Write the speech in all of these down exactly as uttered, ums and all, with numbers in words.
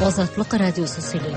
Азатлык радиосы сөйли.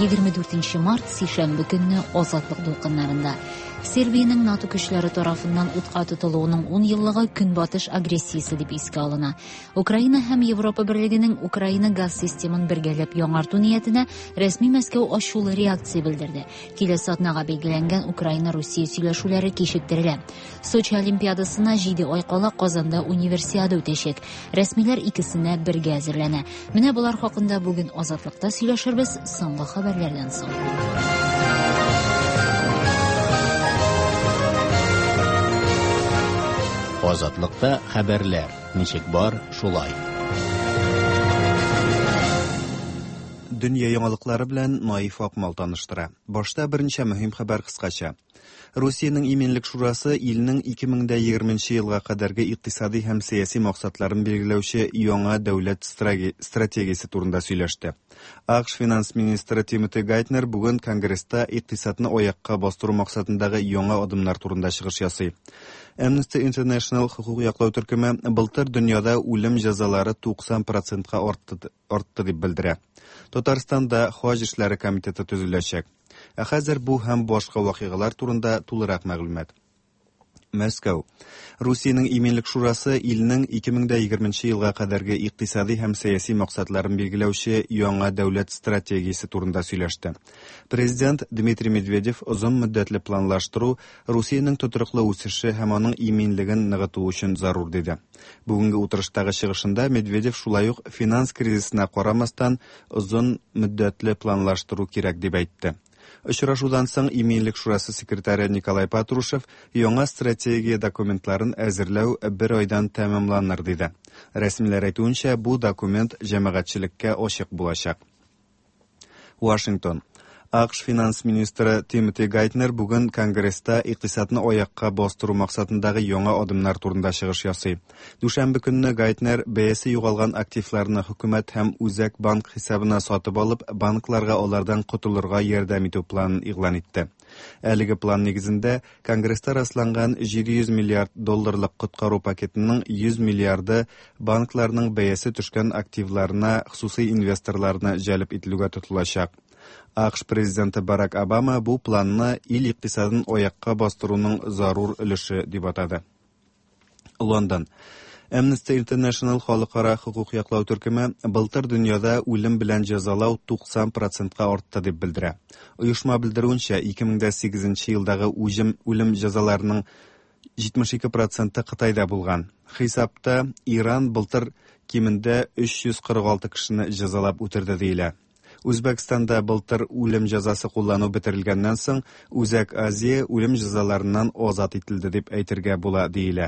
Егерме дүртенче март, сишәмбе көнне Азатлык дулкыннарында. Сербиянең НАТО көчләре тарафыннан утка тотылуының ун еллыгы Көнбатыш агрессиясе дип искә алына. Украина һәм Европа Берлегенең Украина газ системын бергәләп яңарту ниятенә рәсми Мәскәү ачулы реакция белдерде. Киләсе атнага билгеләнгән Украина-Русия сөйләшүләре кичектерелә. Сочи Олимпиадасына җиде ай кала Казанда универсиада үтәчәк. Рәсмиләр икесенә бергә әзерләнә. Менә болар хакында бүген Азатлыкта сөйләшербез соңгы хәбәрләрдән соң. Азатлыкта хәбәрләр ничек бар, шулай. Дөнья яңалыклары белән Наиф Акмал таныштыра. Башта берничә мөһим хәбәр кыскача. Русиянең Иминлек шурасы илнең ике мең дә егерменче елга кадәрге икътисади һәм сәяси максатларын билгеләүче яңа дәүләт стратегиясе турында сөйләште. АКШ финанс министры Тимоти Гайтнер бүген Конгресста икътисадны аякка бастыру максатындагы яңа адымнар турында чыгыш ясый. Amnesty International хукук яклау төркеме былтыр дөньяда үлем җәзалары туксан процентка артты, артты дип белдерә. Татарстанда хаҗ эшләре комитеты төзеләчәк. Ә хәзер бу һәм башка вакыйгалар турында тулырак мәгълүмат. Мәскәү. Русиянең Иминлек шурасы илнең ике мең дә егерменче елга кадәрге икътисади һәм сәяси максатларын билгеләүче яңа дәүләт стратегиясе турында сөйләште. Президент Дмитрий Медведев озын мөддәтле планлаштыру Русиянең тотрыклы үсеше һәм аның иминлеген ныгыту өчен зарур диде. Бүгенге утырыштагы чыгышында Медведев шулай ук финанс кризисына карамастан озын мөддәтле планлаштыру кирәк дип әйтте. Очрашудан соң Иминлек шурасы секретаре Николай Патрушев яңа стратегия документларын әзерләү бер айдан тәмамланыр диде. Рәсмиләр әйтүенчә, бу документ җәмәгатьчелеккә ачык булачак. Вашингтон. АКШ финанс министры Тимоти Гайтнер бүген Конгресста икътисадны аякка бастыру максатындагы яңа адымнар турында чыгыш ясый. Дүшәмбе көнне Гайтнер бәясе югалган активларны хөкүмәт һәм Үзәк банк хисабына сатып алып, банкларга алардан котылырга ярдәм итү планын игълан итте. Әлеге план нигезендә Конгресста расланган җиде йөз миллиард долларлык коткару пакетының йөз миллиарды банкларның бәясе төшкән активларына хосусый инвесторларны җәлеп ителүгә тотылачак. АКШ президенты Барак Обама бу планны ил икътисадын аякка бастыруның зарур өлеше дип атады. Лондон. Amnesty International халыкара хукук яклау төркеме былтыр дөньяда үлем белән җәзалау туксан процентка артты дип белдерә. Оешма белдерүенчә, ике мең дә сигезенче елдагы үлем, үлем җәзаларының җитмеш ике проценты Кытайда булган. Хисапта Иран былтыр кимендә өч йөз кырык алты кешене җәзалап үтерде диелә. Үзбәкстанда былтыр үлем җәзасы куллану бетерелгәннән соң Үзәк Азия үлем җәзаларыннан азат ителде дип әйтергә була диелә.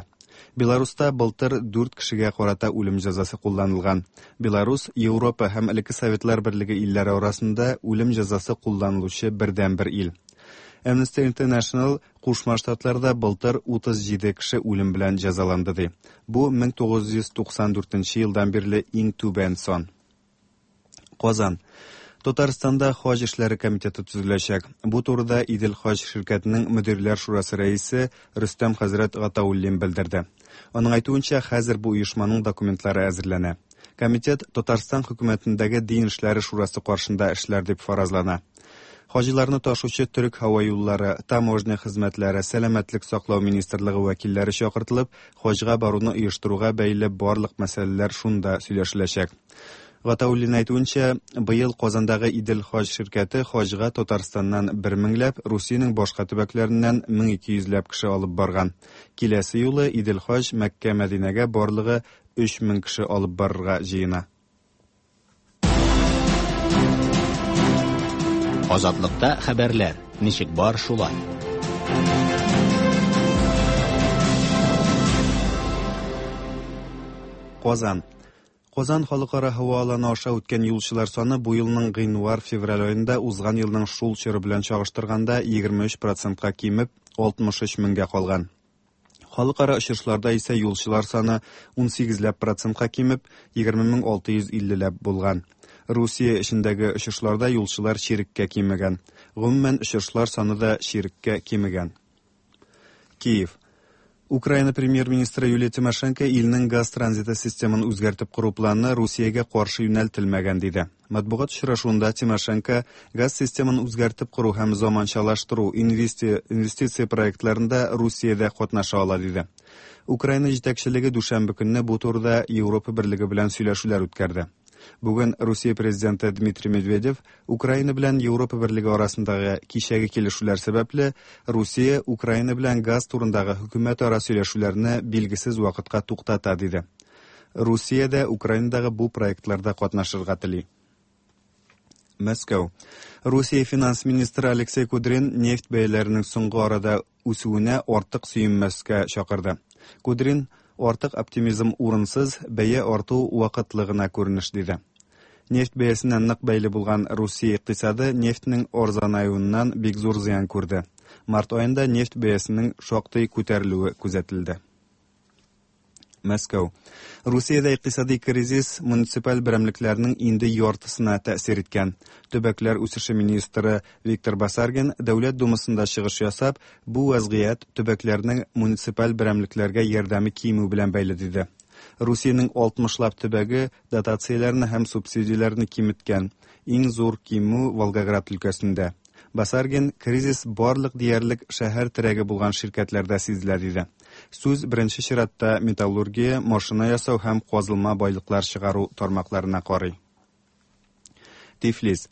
Беларуста былтыр дүрт кешегә карата үлем җәзасы кулланылган. Беларус Европа һәм элекке Советлар Берлеге илләре арасында үлем җәзасы кулланылучы бердәнбер ил. Amnesty International Кушма Штатларда былтыр утыз җиде кеше үлем белән җәзаланды ди. Бу мең тугыз йөз туксан дүртенче елдан бирле иң түбән сан. Казан. Татарстанда хаҗ эшләре комитеты төзеләчәк. Бу турыда Идел хаҗ ширкәтенең мөдирләр шурасы рәисе Рөстәм хәзрәт Гатауллин белдерде. Аның әйтүенчә, хәзер бу оешманың документлары әзерләнә. Комитет Татарстан хөкүмәтендәге дин эшләре шурасы каршында эшләр дип фаразлана. Хаҗиларны ташучы төрек һава юллары, таможня хезмәтләре, сәламәтлек саклау министрлыгы вәкилләре чакыртылып, хаҗга баруны оештыруга бәйле барлык мәсьәләләр шунда сөйләшеләчәк. Гатауллин әйтүенчә, быел Казандагы Идел хаҗ ширкәте хаҗга Татарстаннан бер меңләп, Русиянең башка төбәкләреннән мең ике йөзләп кеше алып барган. Киләсе юлы Идел хаҗ Мәккә Мәдинәгә барлыгы өч мең кеше алып барырга җыена. Азатлыкта хәбәрләр ничек бар шулай. Казан. Казан халыкара һава аланы аша үткән юлчылар саны бу елның гыйнвар-февраль аенда узган елның шул чоры белән чагыштырганда егерме өч процентка кимеп, алтмыш өч меңгә калган. Халыкара очышларда исә юлчылар саны ун сигезләп процентка кимеп, егерме мең алты йөз иллеләп булган. Русия эчендәге очышларда юлчылар чиреккә кимегән. Гомумән, очышлар саны да чиреккә кимегән. Киев. Украина премьер-министры Юлия Тимошенко илнең газ транзиты системын үзгәртеп кору планы Русиягә каршы юнәлтелмәгән диде. Матбугат очрашуында Тимошенко газ системын үзгәртеп кору һәм заманчалаштыру инвестиция проектларында Русиядә катнаша ала диде. Украина җитәкчелеге дүшәмбе көнне бу турыда Европа берлеге белән сөйләшүләр үткәрде. Бүген Русия президенты Дмитрий Медведев Украина белән Европа берлеге арасындагы кичәге килешүләр сәбәпле Русия Украина белән газ турындагы хөкүмәтара сөйләшүләрне билгесез вакытка туктата диде. Русия дә Украинадагы бу проектларда катнашырга тели. Мәскәү. Русия финанс министры Алексей Кудрин нефть бәяләренең соңгы арада үсүенә артык сөенмәскә чакырды. Кудрин артык оптимизм урынсыз, бәя арту вакытлы гына күренеш диде. Нефть бәясенә нык бәйле булган Русия икътисады нефтьнең арзанаюыннан бик зур зыян күрде. Март аенда нефть бәясенең шактый күтәрелүе күзәтелде. Мәскәү. Русиядә икътисади кризис муниципаль берәмлекләрнең инде яртысына тәэсир иткән. Төбәкләр үсеше министры Виктор Басаргин Дәүләт Думасында чыгыш ясап, бу вазгыять төбәкләрнең муниципаль берәмлекләргә ярдәме кимү белән бәйле диде. Русиянең алтмышлап төбәге дотацияләрне һәм субсидияләрне киметкән. Иң зур кимү Волгоград өлкәсендә. Басаргин кризис барлык диярлек шәһәр терәге булган ширкәтләрдә сизелә диде. Сүз беренче чиратта металлургия, машина ясау һәм казылма байлыклар чыгару тармакларына карый. Тифлис.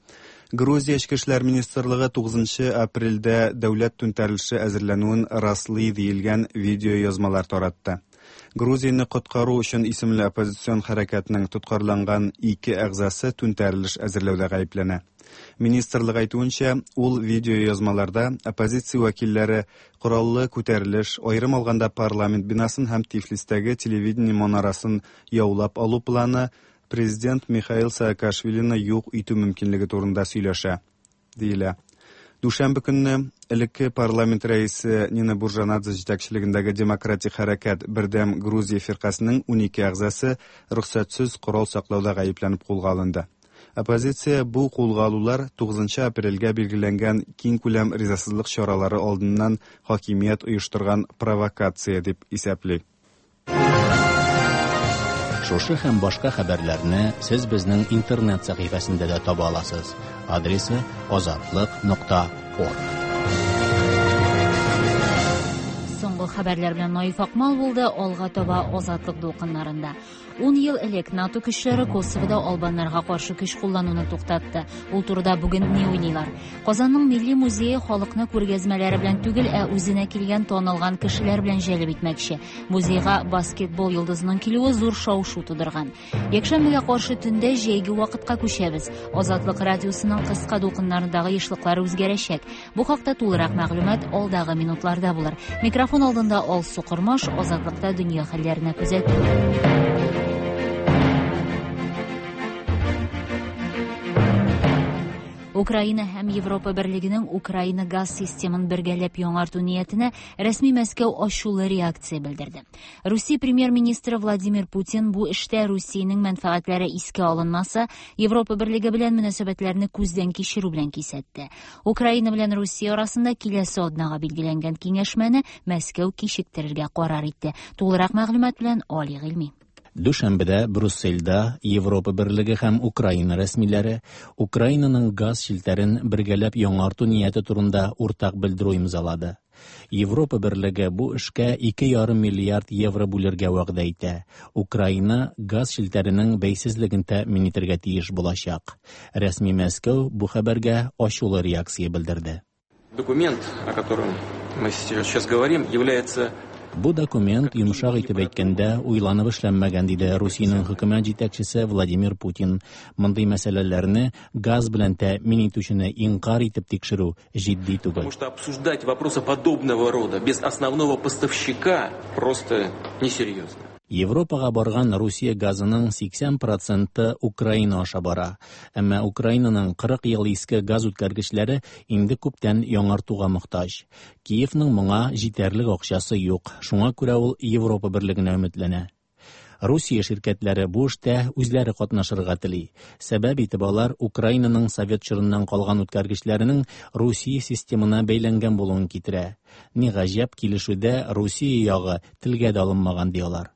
Грузия Эчке эшләр министрлыгы тугызынчы апрельдә дәүләт түнтәрелеше әзерләнүен раслый диелгән видеоязмалар таратты. Грузияне коткару өчен исемле оппозицион хәрәкәтнең тоткарланган ике әгъзасы түнтәрелеш әзерләүдә гаепләнә. Министрлык әйтүенчә, ул видеоязмаларда оппозиция вәкилләре кораллы күтәрелеш, аерым алганда парламент бинасын һәм Тифлистәге телевидение манарасын яулап алу планы президент Михаил Саакашвилины юк итү мөмкинлеге турында сөйләшә, диелә. Дүшәмбе көнне элекке парламент рәисе Нина Буржанадзе җитәкчелегендәге Демократик хәрәкәт Бердәм Грузия фиркасының унике әгъзасы рөхсәтсез корал саклауда гаепләнеп кулга алынды. Оппозиция бу кулга алулар тугызынчы апрельгә билгеләнгән киң күләм ризасызлык чаралары алдыннан хакимият оештырган провокация дип исәпли. Шушы һәм башка хәбәрләрне сез безнең интернет сәхифәсендә дә таба аласыз. Адресы азатлык нокта орг. Соңгы хәбәрләр белән Наиф Акмал булды. Алга таба Азатлык дулкыннарында. Ун ел элек НАТО көчләре Косовода албаннарга каршы көч куллануны туктатты. Ул турыда бүген ни уйлыйлар? Казанның милли музее халыкны күргәзмәләре белән түгел, ә үзенә килгән танылган кешеләр белән җәлеп итмәкче. Музейга баскетбол йолдызының килүе зур шау-шу тудырган. Якшәмбегә каршы төндә җәйге вакытка күчәбез. Азатлык радиосының кыска дулкыннарындагы ешлыклары үзгәрәчәк. Бу хакта тулырак мәгълүмат алдагы минутларда булыр. Микрофон алдында Алсу Кормаш, Азатлыкта дөнья хәлләренә күзәтү. Украина һәм Европа берлегенең Украина газ системын бергәләп яңарту ниятенә рәсми Мәскәү ачулы реакция белдерде. Русия премьер-министры Владимир Путин бу эштә Русиянең мәнфәгатьләре искә алынмаса, Европа берлеге белән мөнәсәбәтләрне күздән кичерү белән кисәтте. Украина белән Русия арасында киләсе атнага билгеләнгән киңәшмәне Мәскәү кичектерергә карар итте. Тулырак мәгълүмат белән Али Гыйльми. Дүшәмбедә Брюссельдә Европа берлеге һәм Украина рәсмиләре Украинаның газ челтәрен бергәләп яңарту нияте турында уртак белдерү имзалады. Европа берлеге бу эшкә ике ярым миллиард евро бүлергә вәгъдә итә. Украина газ челтәренең бәйсезлеген тәэмин итәргә тиеш булачак. Рәсми Мәскәү бу хәбәргә ачулы реакция белдерде. Документ, о котором мы сейчас говорим, является Бу документ йомшак итеп әйткәндә уйланып эшләнмәгән, диде Русиянең хөкүмәт җитәкчесе Владимир Путин. Мондый мәсьәләләрне газ белән тәэмин итүчене инкар итеп тикшерү җитди түгел. Потому что обсуждать вопросы подобного рода без основного поставщика просто несерьезно. Европага барган Русия газының сиксән проценты Украина аша бара. Әмма Украинаның кырык ел иске газ үткәргечләре инде күптән яңартуга мохтаҗ. Киевның моңа җитәрлек акчасы юк. Шуңа күрә ул Европа берлегенә өметләнә. Русия ширкәтләре бу эштә үзләре катнашырга тели. Сәбәп итеп алар Украинаның совет чорыннан калган үткәргечләренең Русия системына бәйләнгән булуын китерә. Ни гаҗәп, килешүдә Русия ягы телгә дә алынмаган ди алар.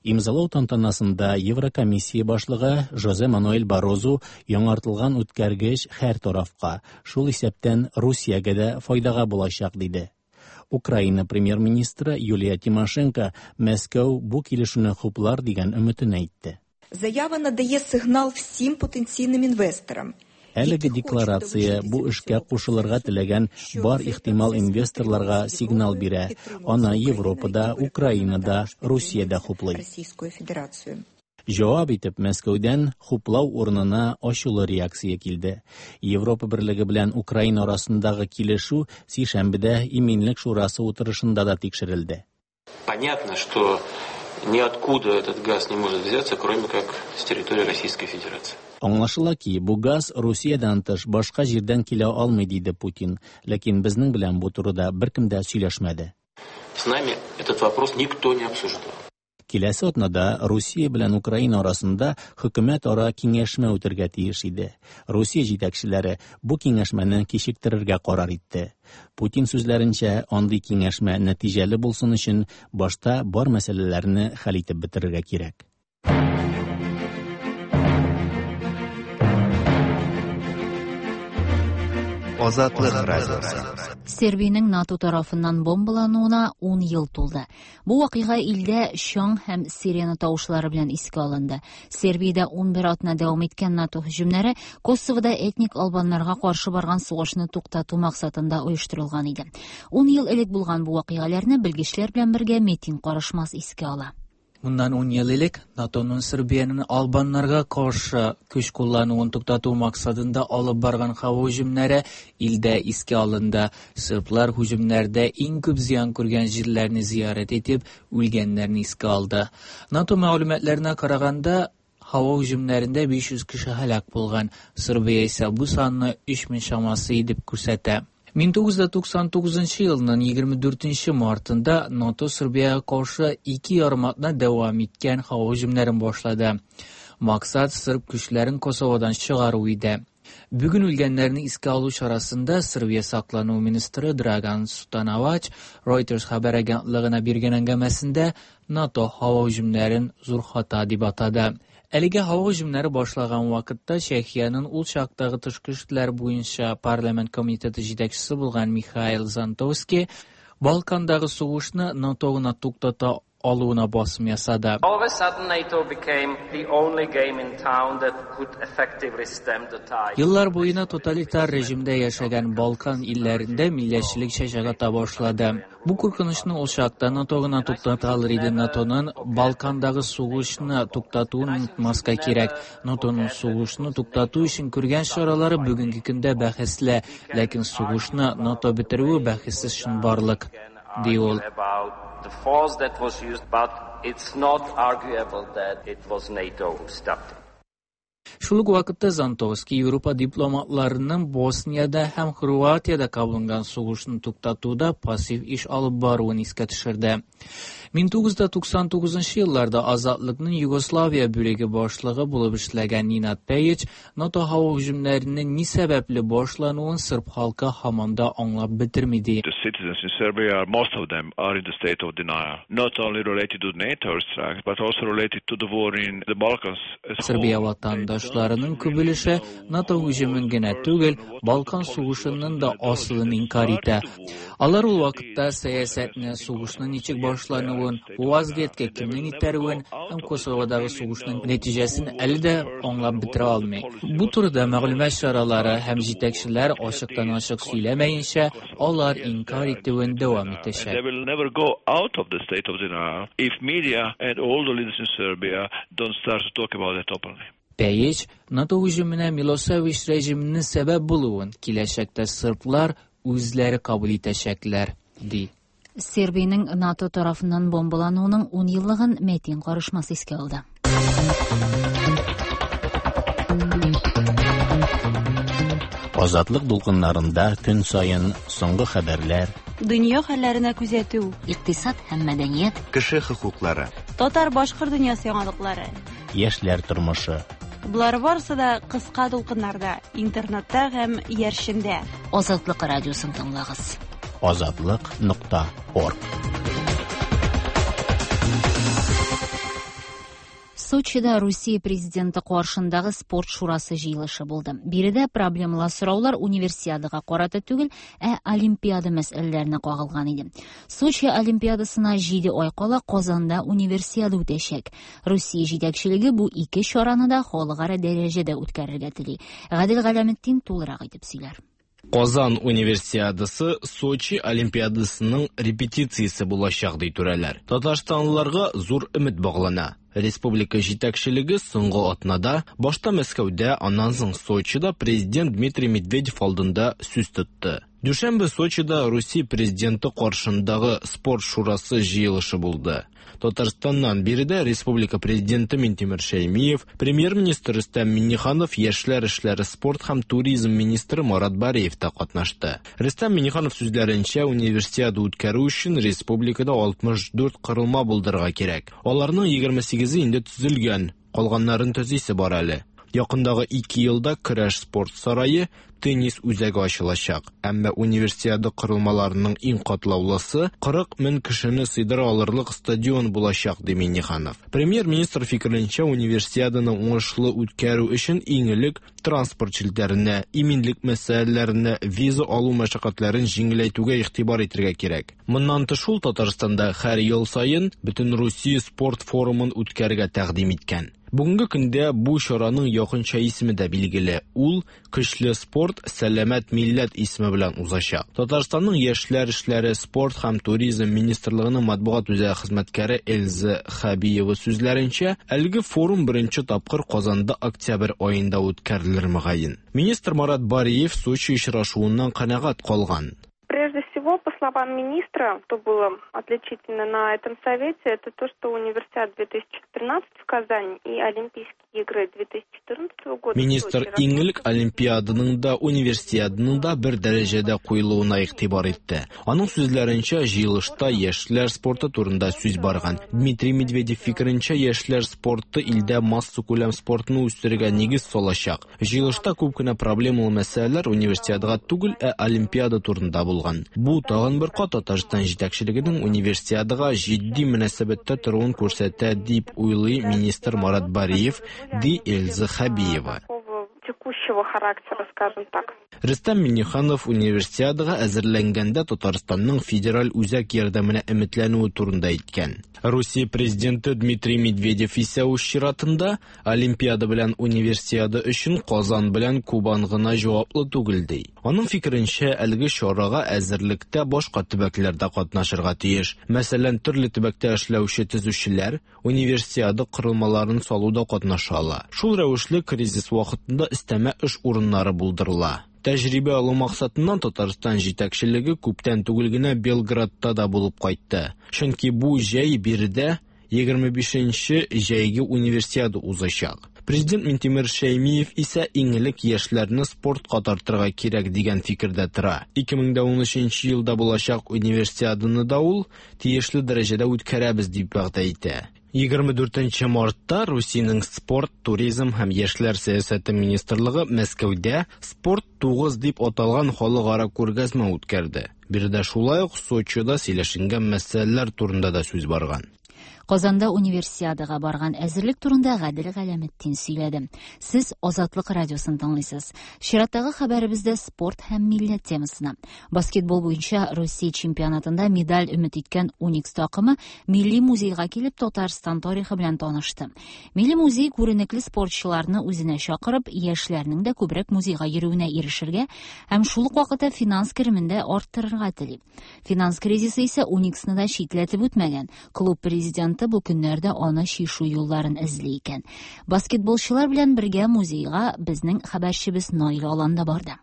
Имзалау тантанасында Еврокомиссия башлыгы Жозе Мануэль Баррозу яңартылган үткәргеч һәр тарафка, шул исәптән Русиягә дә файдага булачак диде. Украина премьер-министры Юлия Тимошенко Мәскәү бу килешүне хуплар дигән өметен әйтте. Заява надає сигнал всім потенційним інвесторам. Әлеге декларация бу эшкә кушылырга теләгән бар ихтимал инвесторларга сигнал бирә. Аны Европада, Украинада, Русиядә хуплый. Российскую Федерацию. Җавап итеп Мәскәүдән хуплау урынына ачулы реакция килде. Европа Берлеге белән Украина арасындагы килешү сишәмбедә Иминлек шурасы утырышында да тикшерелде. Понятно, что ниоткуда этот газ не может взяться, кроме как с территории Российской Федерации. Аңлашыла ки, бу газ Русиядән тыш башка җирдән килә алмый, диде Путин. Ләкин безнең белән бу турыда беркем дә сөйләшмәде. С нами этот вопрос никто не обсуждал. Киләсе атнада Русия белән Украина арасында хөкүмәт-ара киңәшмә үтергә тиеш иде. Русия җитәкчеләре бу киңәшмәне кичектерергә карар итте. Путин сүзләренчә, андый киңәшмә нәтиҗәле булсын өчен башта бар мәсьәләләрне хәл итеп бетерергә кирәк. Азатлык радиосы. Сербиянең НАТО тарафыннан бомбалануына ун ел тулды. Бу вакыйга илдә чаң һәм сирена тавышлары белән искә алынды. Сербиядә ун бер атна дәвам иткән НАТО һөҗүмнәре Косовода этник албаннарга каршы барган сугышны туктату максатында оештырылган иде. Ун ел элек булган бу вакыйгаларны белгечләр белән бергә Метин Карышмас искә ала. Bundan on yıl элек NATO'nun Serbiyanın Albanlarga karşı güç kullanıwын туктату максатында алып барган һава һөҗүмнәре илдә искә алынды. Сырблар һөҗүмнәрдә иң күп зыян күргән җирләрне зиярәт итеп, үлгәннәрне искә алды. НАТО мәгълүматларына караганда, һава һөҗүмнәрендә биш йөз кеше һәлак булган. Сербия исә бу санны өч мең чамасы дип күрсәтә. Мең тугыз йөз туксан тугызынчы елның егерме дүртенче мартында НАТО Сербиягә каршы ике ярым атна дәвам иткән һава һөҗүмнәрен башлады. Максат сырб көчләрен Косоводан чыгару иде. Бүген үлгәннәрне искә алу чарасында Сербия саклану министры Драган Сутановач Reuters хәбәр агентлыгына биргән әңгәмәсендә НАТО һава һөҗүмнәрен зур хата дип атады. Әлегә һава һөҗүмнәре башлаган вакытта Чехиянең ул чактагы тышкы эшләр буенча парламент комитеты җитәкчесе булган Михаил Зантовский Балкандагы сугышны НАТО гына туктата алуына басым ясады. All of a sudden NATO became the only game in town that could effectively stem the tide. Еллар буена тоталитар режимдә яшәгән Балкан илләрендә милләтчелек чәчәк ата башлады. Бу куркынычны ул чакта НАТО гына туктата алыр иде. НАТОның Балкандагы сугышны туктатуын онытмаска кирәк. НАТОның сугышны туктату өчен күргән чаралары бүгенге көндә бәхәсле, ләкин сугышны НАТО бетерүе бәхәссез чынбарлык, ди ул. The force that was used, but it's not arguable that it was NATO who stopped it. Шул ук вакытта Зантовский Европа дипломатларының Босниядә һәм Хорватиядә кабынган сугышны туктатуда пассив эш алып баруын искә төшерде. Мең тугыз йөз туксан тугызынчы елларда Азатлыкның Югославия бүлеге башлыгы булып эшләгән Нинад Пейич НАТО һава һөҗүмнәренең ни сәбәпле башлануын сырб халкы һаман да аңлап бетерми ди. The citizens in Serbia, most of them are in the state of denial, not only related to NATO strikes, but also related to the war in the Balkans as a whole. Сербия ватандашларының күп өлеше НАТО һөҗүмен генә түгел, Балкан сугышының да асылын инкар итә. Алар ул вакытта сәясәтне, сугышның ничек башлануын, бу вазгыятькә кемнең итәрүен һәм Косоводагы сугышның нәтиҗәсен әле дә аңлап бетерә алмый. Бу турыда мәгълүмат чаралары һәм җитәкчеләр ачыктан-ачык сөйләмәенчә, алар инкар итүен дәвам итәчәк. They will never go out of the state of denial if media and all the leaders in Serbia don't start to talk about it openly. Пейич НАТО һөҗүменә Милосевич режимының сәбәп булуын киләчәктә сырблар үзләре кабул итәчәкләр, ди. Сербиянең НАТО тарафыннан бомбалануының ун еллыгын Метин Карышмас искә алды. Азатлык дулкыннарында көн саен соңгы хәбәрләр, дөнья хәлләренә күзәтү, икътисад һәм мәдәният, кеше хокуклары. Татар-башкорт дөньясы яңалыклары. Яшьләр тормышы. Болар барысы да кыска дулкыннарда, интернетта һәм иярчендә. Азатлык радиосын тыңлагыз. Азатлык нокта орг. Сочида Русия президенты каршындагы спорт шурасы җыелышы булды. Биредә проблемалы сораулар универсиадага карата түгел, ә олимпиада мәсьәләләренә кагылган иде. Сочи олимпиадасына җиде ай кала Казанда универсиада үтәчәк. Русия җитәкчелеге бу ике чараны да халыкара дәрәҗәдә үткәрергә тели. Гадел Галәметдин тулырак итеп сөйләр. Казан универсиадасы Сочи олимпиадасының репетициясе булачак ди түрәләр. Татарстанлыларга зур өмет баглана. Республика җитәкчелеге соңгы атнада башта Мәскәүдә, аннан соң Сочида президент Дмитрий Медведев алдында сүз тотты. Дүшәмбе Сочида Русия президенты каршындагы спорт шурасы җыелышы булды. Татарстаннан биредә республика президенты Минтимер Шәймиев, премьер-министр Рөстәм Миңнеханов, яшьләр эшләре, спорт һәм туризм министры Марат Бариев та катнашты. Рөстәм Миңнеханов сүзләренчә, универсиада үткәрү өчен республикада алтмыш дүрт корылма булдырырга кирәк. Аларның егерме сигезе инде төзелгән, калганнарын төзисе бар әле. Якындагы ике елда көрәш спорт сарае, теннис үзәге ачылачак. Әмма универсиада корылмаларының иң катлаулысы кырык мең кешене сыйдыра алырлык стадион булачак, ди Миңнеханов. Премьер-министр фикеренчә, универсиаданы уңышлы үткәрү өчен иң элек транспорт челтәренә, иминлек мәсьәләләренә, виза алу мәшәкатьләрен җиңеләйтүгә игътибар итәргә кирәк. Моннан тыш ул Татарстанда һәр ел саен Бөтенрусия спорт форумын үткәрергә тәкъдим иткән. Бүгенге көндә бу чараның якынча исеме дә билгеле. Ул Көчле спорт, сәламәт милләт исеме белән узачак. Татарстанның яшьләр эшләре, спорт һәм туризм министрлыгының матбугат үзәге хезмәткәре Эльза Хабиева сүзләренчә, әлеге форум беренче тапкыр Казанда октябрь аенда үткәрелер мөгаен. Министр Марат Бариев Сочи очрашуыннан канәгать калган. Прежде всего, по словам министра, что было отличительно на этом совете, это то, что универсиада две тысячи тринадцать в Казани и Олимпийские игры две тысячи четырнадцатого года. Министр иң элек Олимпиаданың да, универсиаданың да бер дәрәҗәдә куелуына игътибар итте. Аның сүзләренчә, җыелышта яшьләр спорты турында сүз барган. Дмитрий Медведев фикеренчә, яшьләр спорты илдә массакүләм спортны үстерергә нигез салачак. Җыелышта күп кенә проблемалы мәсьәләләр универсиадага түгел, ә Олимпиада турында булган. Бу тагын бер кат Татарстан җитәкчелегенең универсиадага җитди мөнәсәбәттә торуын күрсәтә дип уйлый министр Марат Бариев, ди Эльза Хабиева. Текущего характера, скажем так. Рөстәм Миңнеханов универсиадага әзерләнгәндә Татарстанның федераль үзәк ярдәменә өметләнүе турында әйткән. Русия президенты Дмитрий Медведев исә үз чиратында Олимпиада белән универсиада өчен Казан белән Кубан гына җаваплы түгел ди. Аның фикеренчә, әлеге чарага әзерлектә башка төбәкләр дә катнашырга тиеш. Мәсәлән, төрле төбәктә эшләүче төзүчеләр универсиада корылмаларын салуда катнаша ала. Шул рәвешле кризис вакытында өстәмә эш урыннары булдырыла. Тәҗрибә алу максатыннан Татарстан җитәкчелеге күптән түгел генә Белградта да булып кайтты. Чөнки бу җәй биредә егерме бишенче җәйге универсиада узачак. Президент Минтимер Шәймиев исә иң элек яшьләрне спортка тартырга кирәк дигән фикердә тора. ике мең дә унөченче елда булачак универсиаданы да ул тиешле дәрәҗәдә үткәрәбез дип вәгъдә итә. Егерме дүртенче мартта Русиянең спорт, туризм һәм яшьләр сәясәте министрлыгы Мәскәүдә Спорт тугыз дип аталган халыкара күргәзмә үткәрде. Биредә шулай ук Сочида сөйләшенгән мәсьәләләр турында да сүз барган. Казанда универсиадага барган әзерлек турында Гадел Галәметдин сөйләде. Сез Азатлык радиосын тыңлыйсыз. Чираттагы хәбәребездә спорт һәм милләт темасына. Баскетбол буенча Русия чемпионатында медаль өмет иткән Уникс такымы Милли музейга килеп Татарстан тарихы белән танышты. Милли музей күренекле спортчыларны үзенә чакырып, яшьләрнең дә күбрәк музейга йөрүенә ирешергә һәм шул ук вакытта финанс керемен дә арттырырга тели. Финанс кризисы исә Униксны да читләтеп үтмәгән. Клуб президенты бу көннәрдә аны чишү юлларын эзли икән. Баскетболчылар белән бергә музейга безнең хәбәрчебез Наил Алан да барды.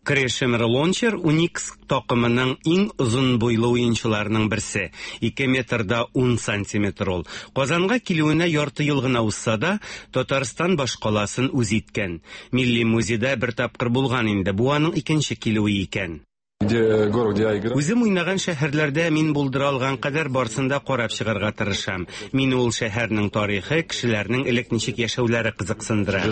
Крешемир Лончер Уникс такымының иң озын буйлы уенчыларының берсе. Ике метр да ун сантиметр ул. Казанга килүенә ярты ел гына узса да, Татарстан башкаласын үз иткән. Милли музейда бер тапкыр булган инде, бу аның икенче килүе икән. Үзем уйнаган шәһәрләрдә мин булдыра алган кадәр барсын да карап чыгарга тырышам. Мине ул шәһәрнең тарихы, кешеләрнең элек ничек яшәүләре кызыксындыра.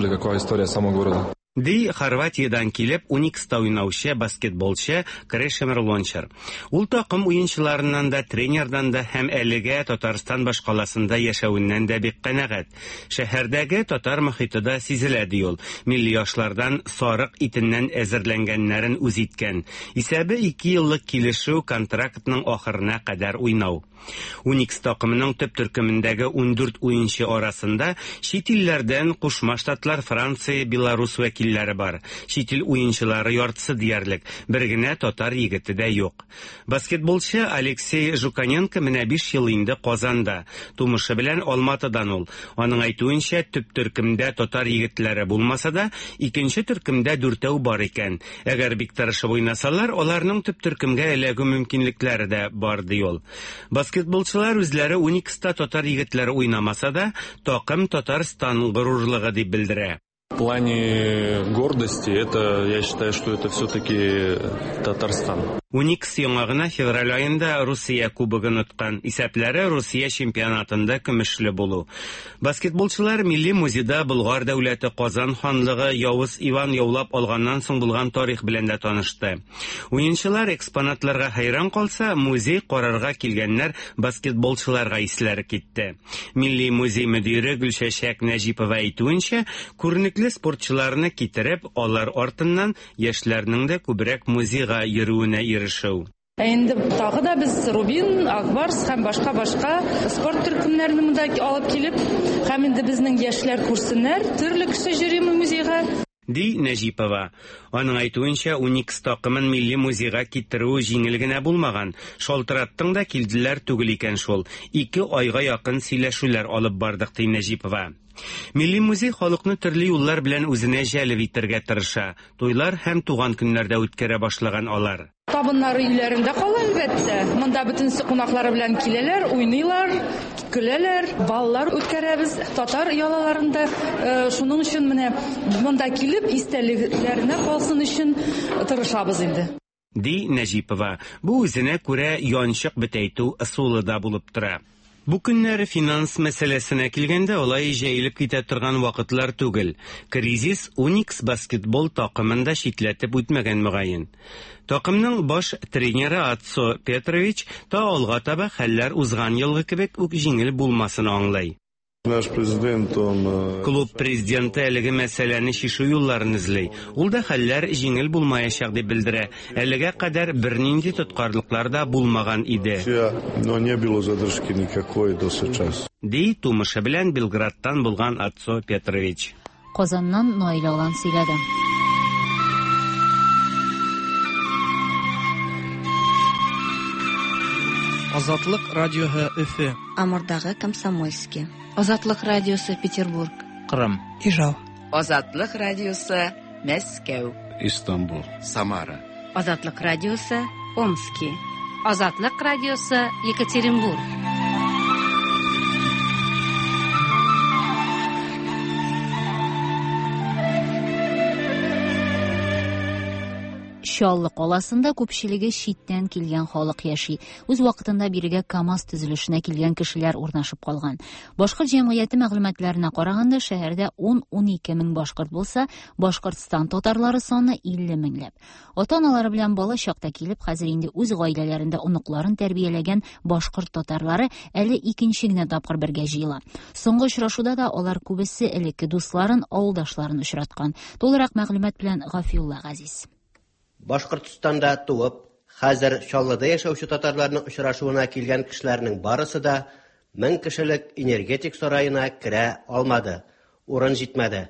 Ди Хорватиядән килеп Уникста уйнаучы баскетболчы Крешемир Лончар. Ул такым уенчыларыннан да, тренердан да һәм әлегә Татарстан башкаласында яшәвеннән дә бик канәгать. Шәһәрдәге татар мохите дә сизелә ди ул. Милли яшлардан сарык итеннән әзерләнгәннәрен үз иткән. Исәбе ике еллык килешү контрактның ахырына кадәр уйнау. Уникс такымының төп төркемендәге ун дүрт уенчы арасында чит илләрдән Кушма Штатлар, Франция, Беларусь вәкилләре бар. Чит ил уенчылары яртысы диярлек, бер генә татар егете дә юк. Баскетболчы Алексей Жуканенко менә биш ел инде Казанда. Тумышы белән Алматыдан ул. Аның әйтүенчә, төп төркемдә татар егетләре булмаса да, икенче төркемдә дүртәү бар икән. Әгәр бик тырышып уйнасалар, аларның төп төркемгә эләгү мөмкинлекләре дә бар ди ул. Баскетболчылар үзләре Уникста татар егетләре уйнамаса да, такым Татарстан горурлыгы дип белдерә. В плане гордости, это, я считаю, что это все-таки Татарстан. Уникс яңа гына февраль аенда Русия кубогын откан. Исәпләре Русия чемпионатында көмешле булу. Баскетболчылар Милли музейда Болгар дәүләте, Казан ханлыгы, Явыз Иван яулап алганнан соң булган тарих белән дә танышты. Уенчылар экспонатларга хәйран калса, музей карарга килгәннәр баскетболчыларга исләре китте. Милли музей мөдире Гөлчәчәк Нәҗипова әйтүенчә, күренекле спортчыларны китереп, алар артыннан яшьләрнең дә күбрәк музейга йөрүенә ирешү. Инде тагы да без Рубин, Акбарс һәм башка-башка спорт төркемнәрен монда алып килеп, һәм инде безнең яшьләр күрсеннәр, төрле кеше йөри музейга. Ди Нәҗипова. Аның әйтүенчә, Уникс такымын милли музейга китерү җиңел генә булмаган. Шалтыраттың да килделәр түгел икән шул. Ике айга якын сөйләшүләр алып бардык, ди Нәҗипова. Милли музей халыкны төрле юллар белән үзенә җәлеп итәргә тырыша. Туйлар һәм туган көннәрдә үткәрә башлаган алар. Табыннары өйләрендә кала әлбәттә. Монда бөтенесе кунаклары белән киләләр, уйныйлар, көләләр, баллар үткәрәбез татар ялаларында. Шуның өчен менә монда килеп истәлекләренә калсын өчен тырышабыз инде. Ди Нәҗипова. Бу үзенә күрә янчык бетәйтү ысулы да булып тора. Бу көннәр финанс мәсьәләсенә килгәндә алай җәелеп китә торган вакытлар түгел. Кризис Уникс баскетбол такымын да читләтеп үтмәгән мөгаен. Такымның баш тренеры Ацо Петрович та алга таба хәлләр узган елгы кебек үк җиңел булмасын аңлый. Наш президент, он... Клуб президенты әлеге мәсьәләне чишү юлларын эзли. Ул да хәлләр җиңел булмаячак дип белдерә. Әлегә кадәр бернинди тоткарлыклар да булмаган иде. Но не было задержки никакой до сейчас. Ди тумышы белән Белградтан булган Ацо Петрович. Казаннан Наилә Алан сөйләде. Азатлык радиоһы Өфе. Амурдагы Комсомольский. Азатлык радиосы Петербург. Кырым. Ижау. Азатлык радиосы Мәскәү. Истанбул. Самара. Азатлык радиосы Омски. Азатлык радиосы Екатеринбург. Чаллы каласында күпчелеге читтән килгән халык яши. Үз вакытында бирегә КАМАЗ төзелешенә килгән кешеләр урнашып калган. Башкорт җәмгыяте мәгълүматларына караганда, шәһәрдә ун-ун ике мең башкорт булса, Башкортстан татарлары саны илле меңләп. Ата-аналары белән бала чакта килеп, хәзер инде үз гаиләләрендә оныкларын тәрбияләгән башкорт татарлары әле икенче генә тапкыр бергә җыела. Соңгы очрашуда да алар күбесе элекке дусларын, авылдашларын очраткан. Тулырак мәгълүмат белән Гафиулла Газиз. Башкортстанда туып, хәзер Чаллыда яшәүче татарларның очрашуына килгән кешеләрнең барысы да мең кешелек энергетик сараена керә алмады. Урын җитмәде.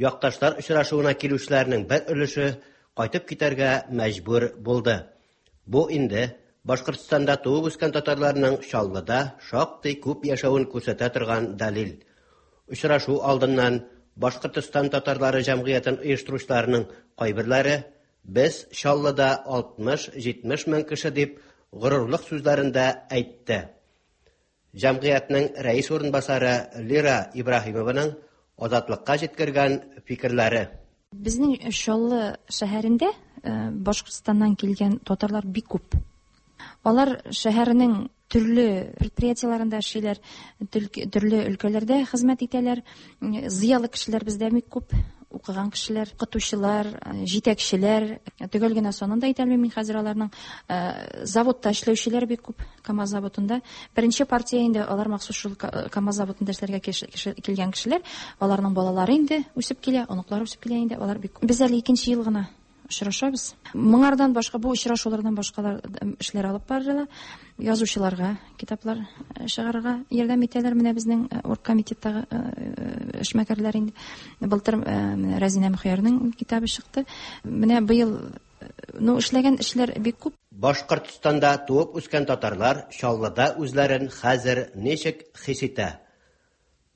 Якташлар очрашуына килүчеләрнең бер өлеше кайтып китәргә мәҗбүр булды. Бу инде Башкортстанда туып үскән татарларның Чаллыда шактый күп яшәвен күрсәтә торган дәлил. Очрашу алдыннан Башкортстан татарлары җәмгыятен оештыручыларының кайберләре «Без Чаллыда алтмыш-җитмеш мең кеше» дип горурлык сүзләрендә әйтте. Җәмгыятьнең рәис урынбасары Лира Ибраһимованың Азатлыкка җиткергән фикерләре. Безнең Чаллы шәһәрендә Башкортстаннан килгән татарлар бик күп. Алар шәһәрнең төрле предприятиеләрендә эшлиләр, төрле өлкәләрдә хезмәт итәләр. Зыялы кешеләр бездә бик күп, укыган кешеләр, укытучылар, җитәкчеләр, төгәл генә санын да әйтә алмыйм мин хәзер аларның. Заводта эшләүчеләр бик күп, КАМАЗ заводында. Беренче партия инде алар махсус шул КАМАЗ заводында эшләргә килгән кешеләр, аларның балалары инде үсеп килә, оныклары үсеп килә инде, алар бик күп. Без әле икенче ел гына очрашабыз. Моңардан башка, бу очрашулардан башкалар эшләр алып барыла. Язучыларга китаплар чыгарырга ярдәм итәләр. Менә безнең оргкомитеттагы эшмәкәрләр инде. Былтыр Рәзинә Мөхиярның китабы чыкты. Менә быел, ну, эшләгән эшләр бик күп. Башкортстанда туып үскән татарлар Чаллыда үзләрен хәзер ничек хис итә?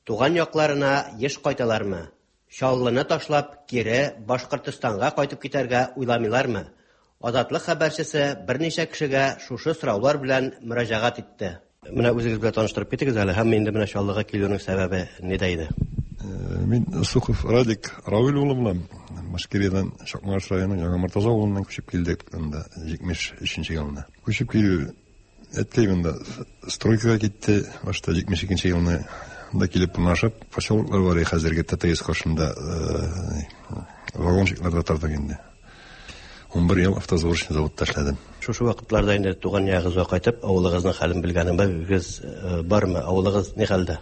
Туган якларына еш кайталармы? Чаллыны ташлап, кире Башкортстанга кайтып китәргә уйламыйлармы? Азатлык хәбәрчесе берничә кешегә шушы сораулар белән мөрәҗәгать итте. Менә үзегез белән таныштырып китегез әле, һәм инде менә Чаллыга килүнең сәбәбе нидә иде? Мин Сухов Радик Равил улы булам. Башкириядән Чакмагыш районының Яңа Мортаза авылыннан күчеп килдек анда җитмеш өченче елны. Күчеп килү әткәй монда стройкага китте, башта җитмеш икенче елны. Да килеп урнашып, поселоклар бар хәзерге Т Т С каршында вагончикларда тордык инде. Унбер ел автосборочный заводта эшләдем. Шушы вакытларда инде туган ягыгызга кайтып, авылыгызның хәлен белгәнегез бармы? Авылыгыз ни хәлдә?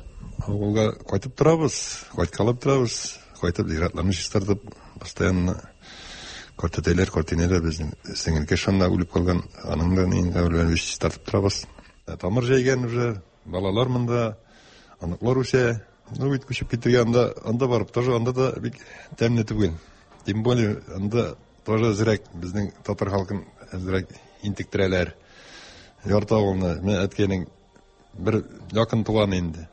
Авылга кайтып торабыз, кайткалап торабыз, кайтып зиратларны чистартып, постоянно картәтәйләр, картинәләр безнең сеңелкәш шунда үлеп калган, аның да ни каберләрен чистартып торабыз. Тамыр җәйгән уже, балалар монда, оныклар үсә. Ну, бит күчеп китергә анда, анда барып тоже анда да бик тәмле түгел. Тем более анда тоже әзрәк безнең татар халкын әзрәк интектерәләр. Ярты авылны, менә әткәйнең бер якын туганы инде.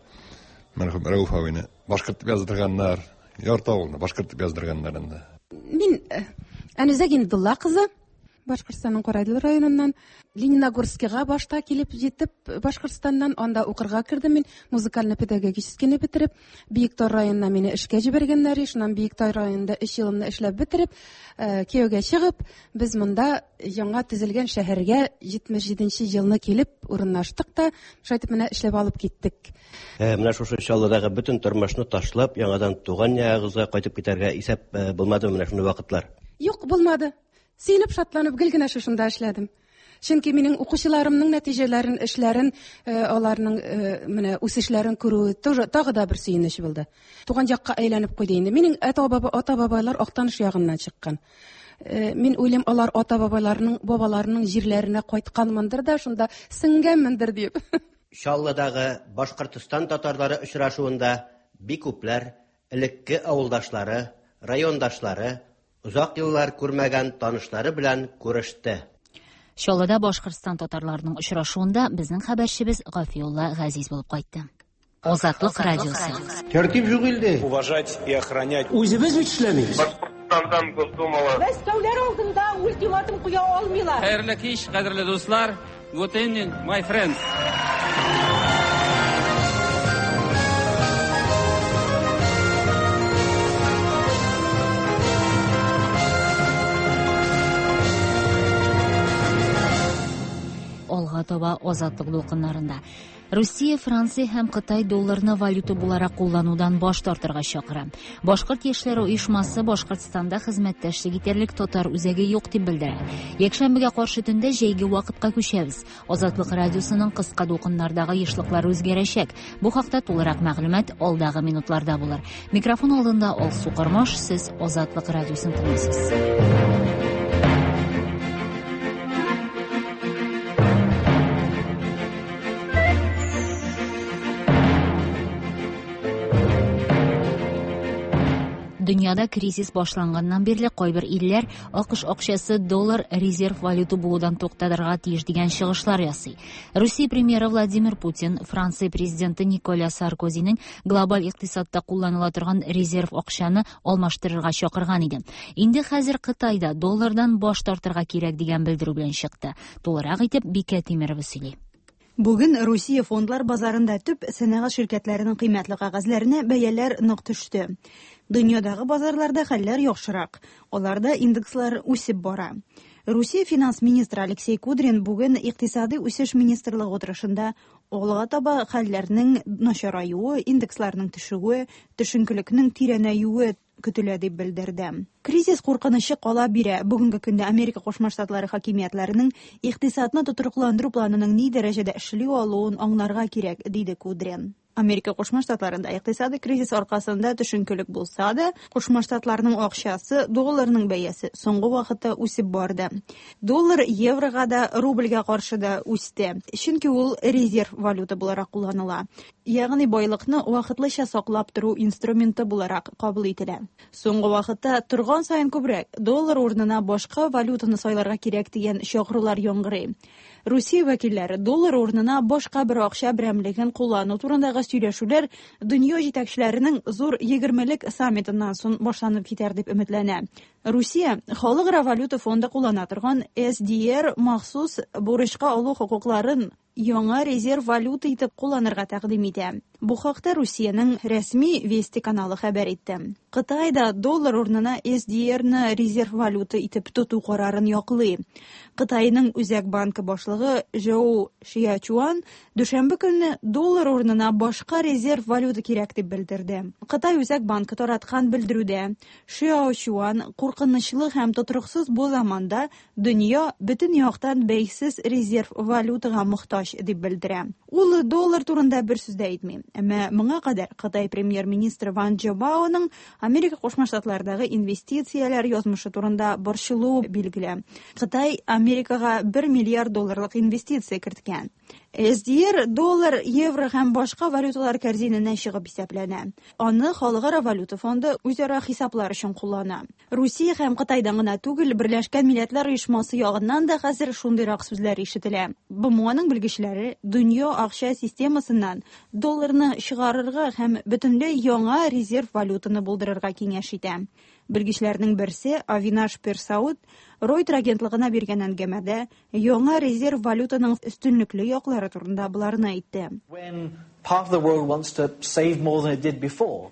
Мәрхүм Рәүф абыйны башкорт дип яздырганнар. Ярты авылны башкорт дип яздырганнар анда. Мин Әнүзә Гиндулла кызы, Башкортстанның Карайдыл районыннан, Лениногорскига башта килеп җитеп, Башкортстаннан анда укырга кердем мин, музыкально-педагогическийны бетереп, Биектау районына мине эшкә җибәргәннәр, шуннан Биектау районында өч елымны эшләп бетереп, кияүгә чыгып, без монда яңа төзелгән шәһәргә җитмеш җиденче елны килеп урынлаштык та, шулай итеп менә эшләп алып киттек. Менә шушы Чаллыдагы бөтен тормышны ташлап, яңадан туган ягыгызга кайтып китәргә исәп булмадымы менә шундый вакытлар? Юк, булмады. Сөенеп, шатланып гел генә шушында эшләдем. Чөнки минем укучыларымның нәтиҗәләрен, эшләрен, аларның менә үсешләрен күрү тоже тагы да бер сөенеч булды. Туган якка әйләнеп куйды инде. Минем ата-баба, ата-бабайлар Актаныш ягыннан чыккан. Мин уйлыйм, алар ата-бабаларының, бабаларының җирләренә кайтканмындыр да, шунда сеңгәнмендер дип. Чаллыдагы Башкортстан татарлары очрашуында бик күпләр элекке авылдашлары, райондашлары, озак еллар күрмәгән танышлары белән күреште. Чаллыда Башкортстан татарларының очрашуында безнең хәбәрчебез Гафиулла Газиз булып кайтты. Азатлык радиосы. Тәртип юк илдә. Уважать и охранять. Үзебез бит эшләмибез. Башкортстандан Госдумала. Мәскәүләр алдында ультиматум куя алмыйлар. Хәерле кич, кадерле дуслар. Good evening, my friends. Алга таба Азатлык дулкыннарында. Россия, Франция һәм Кытай долларны валюта буларак кулланудан баш тартырга чакыра. Башкорт яшьләре оешмасы Башкортстанда хезмәттәшлек итәрлек татар үзәге юк дип белдерә. Якшәмбегә каршы төндә җәйге вакытка күчәбез. Азатлык радиосының кыска дулкыннардагы ешлыклары үзгәрәчәк. Бу хакта тулырак мәгълүмат алдагы минутларда булыр. Микрофон алдында Алсу Кармаш, сез Азатлык радиосын тыңлыйсыз. Дөньяда кризис башланганнан бирле кайбер илләр А К Ш акчасы доллар резерв валюта булудан туктатырга тиеш дигән чыгышлар ясый. Русия премьеры Владимир Путин Франция президенты Николя Саркозиның глобаль икътисадта кулланыла торган резерв акчаны алмаштырырга чакырган иде. Инде хәзер Кытайда доллардан баш тартырга кирәк дигән белдерү белән чыкты. Тулырак итеп Бикә Тимирова сөйли. Бүген Русия фондлар базарында төп сәнәгать ширкәтләренең кыйммәтле кәгазьләренә бәяләр нык төште. Дөньядагы базарларда хәлләр яхшырак, аларда индекслар үсеп бара. Русия финанс министры Алексей Кудрин бүген Икътисади үсеш министрлыгы утырышында алга таба хәлләрнең начараюы, индексларның төшүе, төшенкелекнең тирәнәюе көтелә дип белдерде. Кризис куркынычы кала бирә. Бүгенге көндә Америка Кушма Штатлары хакимиятләренең икътисадны тотрыкландыру планының ни дәрәҗәдә эшли алуын аңларга кирәк, диде Кудрин. Америка Кушма Штатларында икътисади кризис аркасында төшенкелек булса да, Кушма Штатларның акчасы, долларның бәясе соңгы вакытта үсеп барды. Доллар еврога да, рубльгә каршы да үсте, чөнки ул резерв валюта буларак кулланыла. Ягъни байлыкны вакытлыча саклап тору инструменты буларак кабул ителә. Соңгы вакытта торган саен күбрәк доллар урынына башка валютаны сайларга кирәк дигән чакырулар яңгырый. Русия вәкилләре доллар урынына башка бер акча берәмлеген куллану турындагы сөйләшүләр дөнья җитәкчеләренең зур егермелек саммитыннан соң башланып китәр дип өметләнә. Русия Халыкара валюта фонды куллана торган эс ди эр махсус бурычка алу хокукларын яңа резерв валюта итеп кулланырга тәкъдим итә. Бу хакта Русиянең рәсми Вести каналы хәбәр итте. Кытай да доллар урынына эс ди эр-ны резерв валюта итеп тоту карарын яклый. Кытайның Үзәк банкы башлыгы Жоу Шиачуан дүшәмбе көнне доллар урынына башка резерв валюта кирәк дип белдерде. Кытай Үзәк банкы тараткан белдерүдә Шиачуан куркынычлы һәм тотрыксыз бу заманда дөнья бөтен яктан бәйсез резерв валютага мохтаҗ дип белдерә. Ул доллар турында бер сүз дә әйтми. Әмма моңа кадәр Кытай премьер-министры Ван Джобаоның Америка Кушма Штатларындагы инвестицияләр язмышы турында борчылуы билгеле. Кытай Америкага бер миллиард долларлык инвестиция керткән. эс ди эр доллар, евро һәм башка валюталар корзиненә чыгып исәпләнә. Аны Халыкара валюта фонды үзара хисаплар өчен куллана. Русия һәм Кытайдан гына түгел, Берләшкән Милләтләр Оешмасы ягыннан да хәзер шундыйрак сүзләр ишетелә. бэ эм о-ның белгечләре дөнья акча системасыннан долларны чыгарырга һәм бөтенләй яңа резерв валютаны булдырырга киңәш итә. Белгечләрнең берсе Авинаш Персауд Reuters агентлыгына биргән әңгәмәдә яңа резерв валютаның өстенлекле яклары турында боларны әйтте.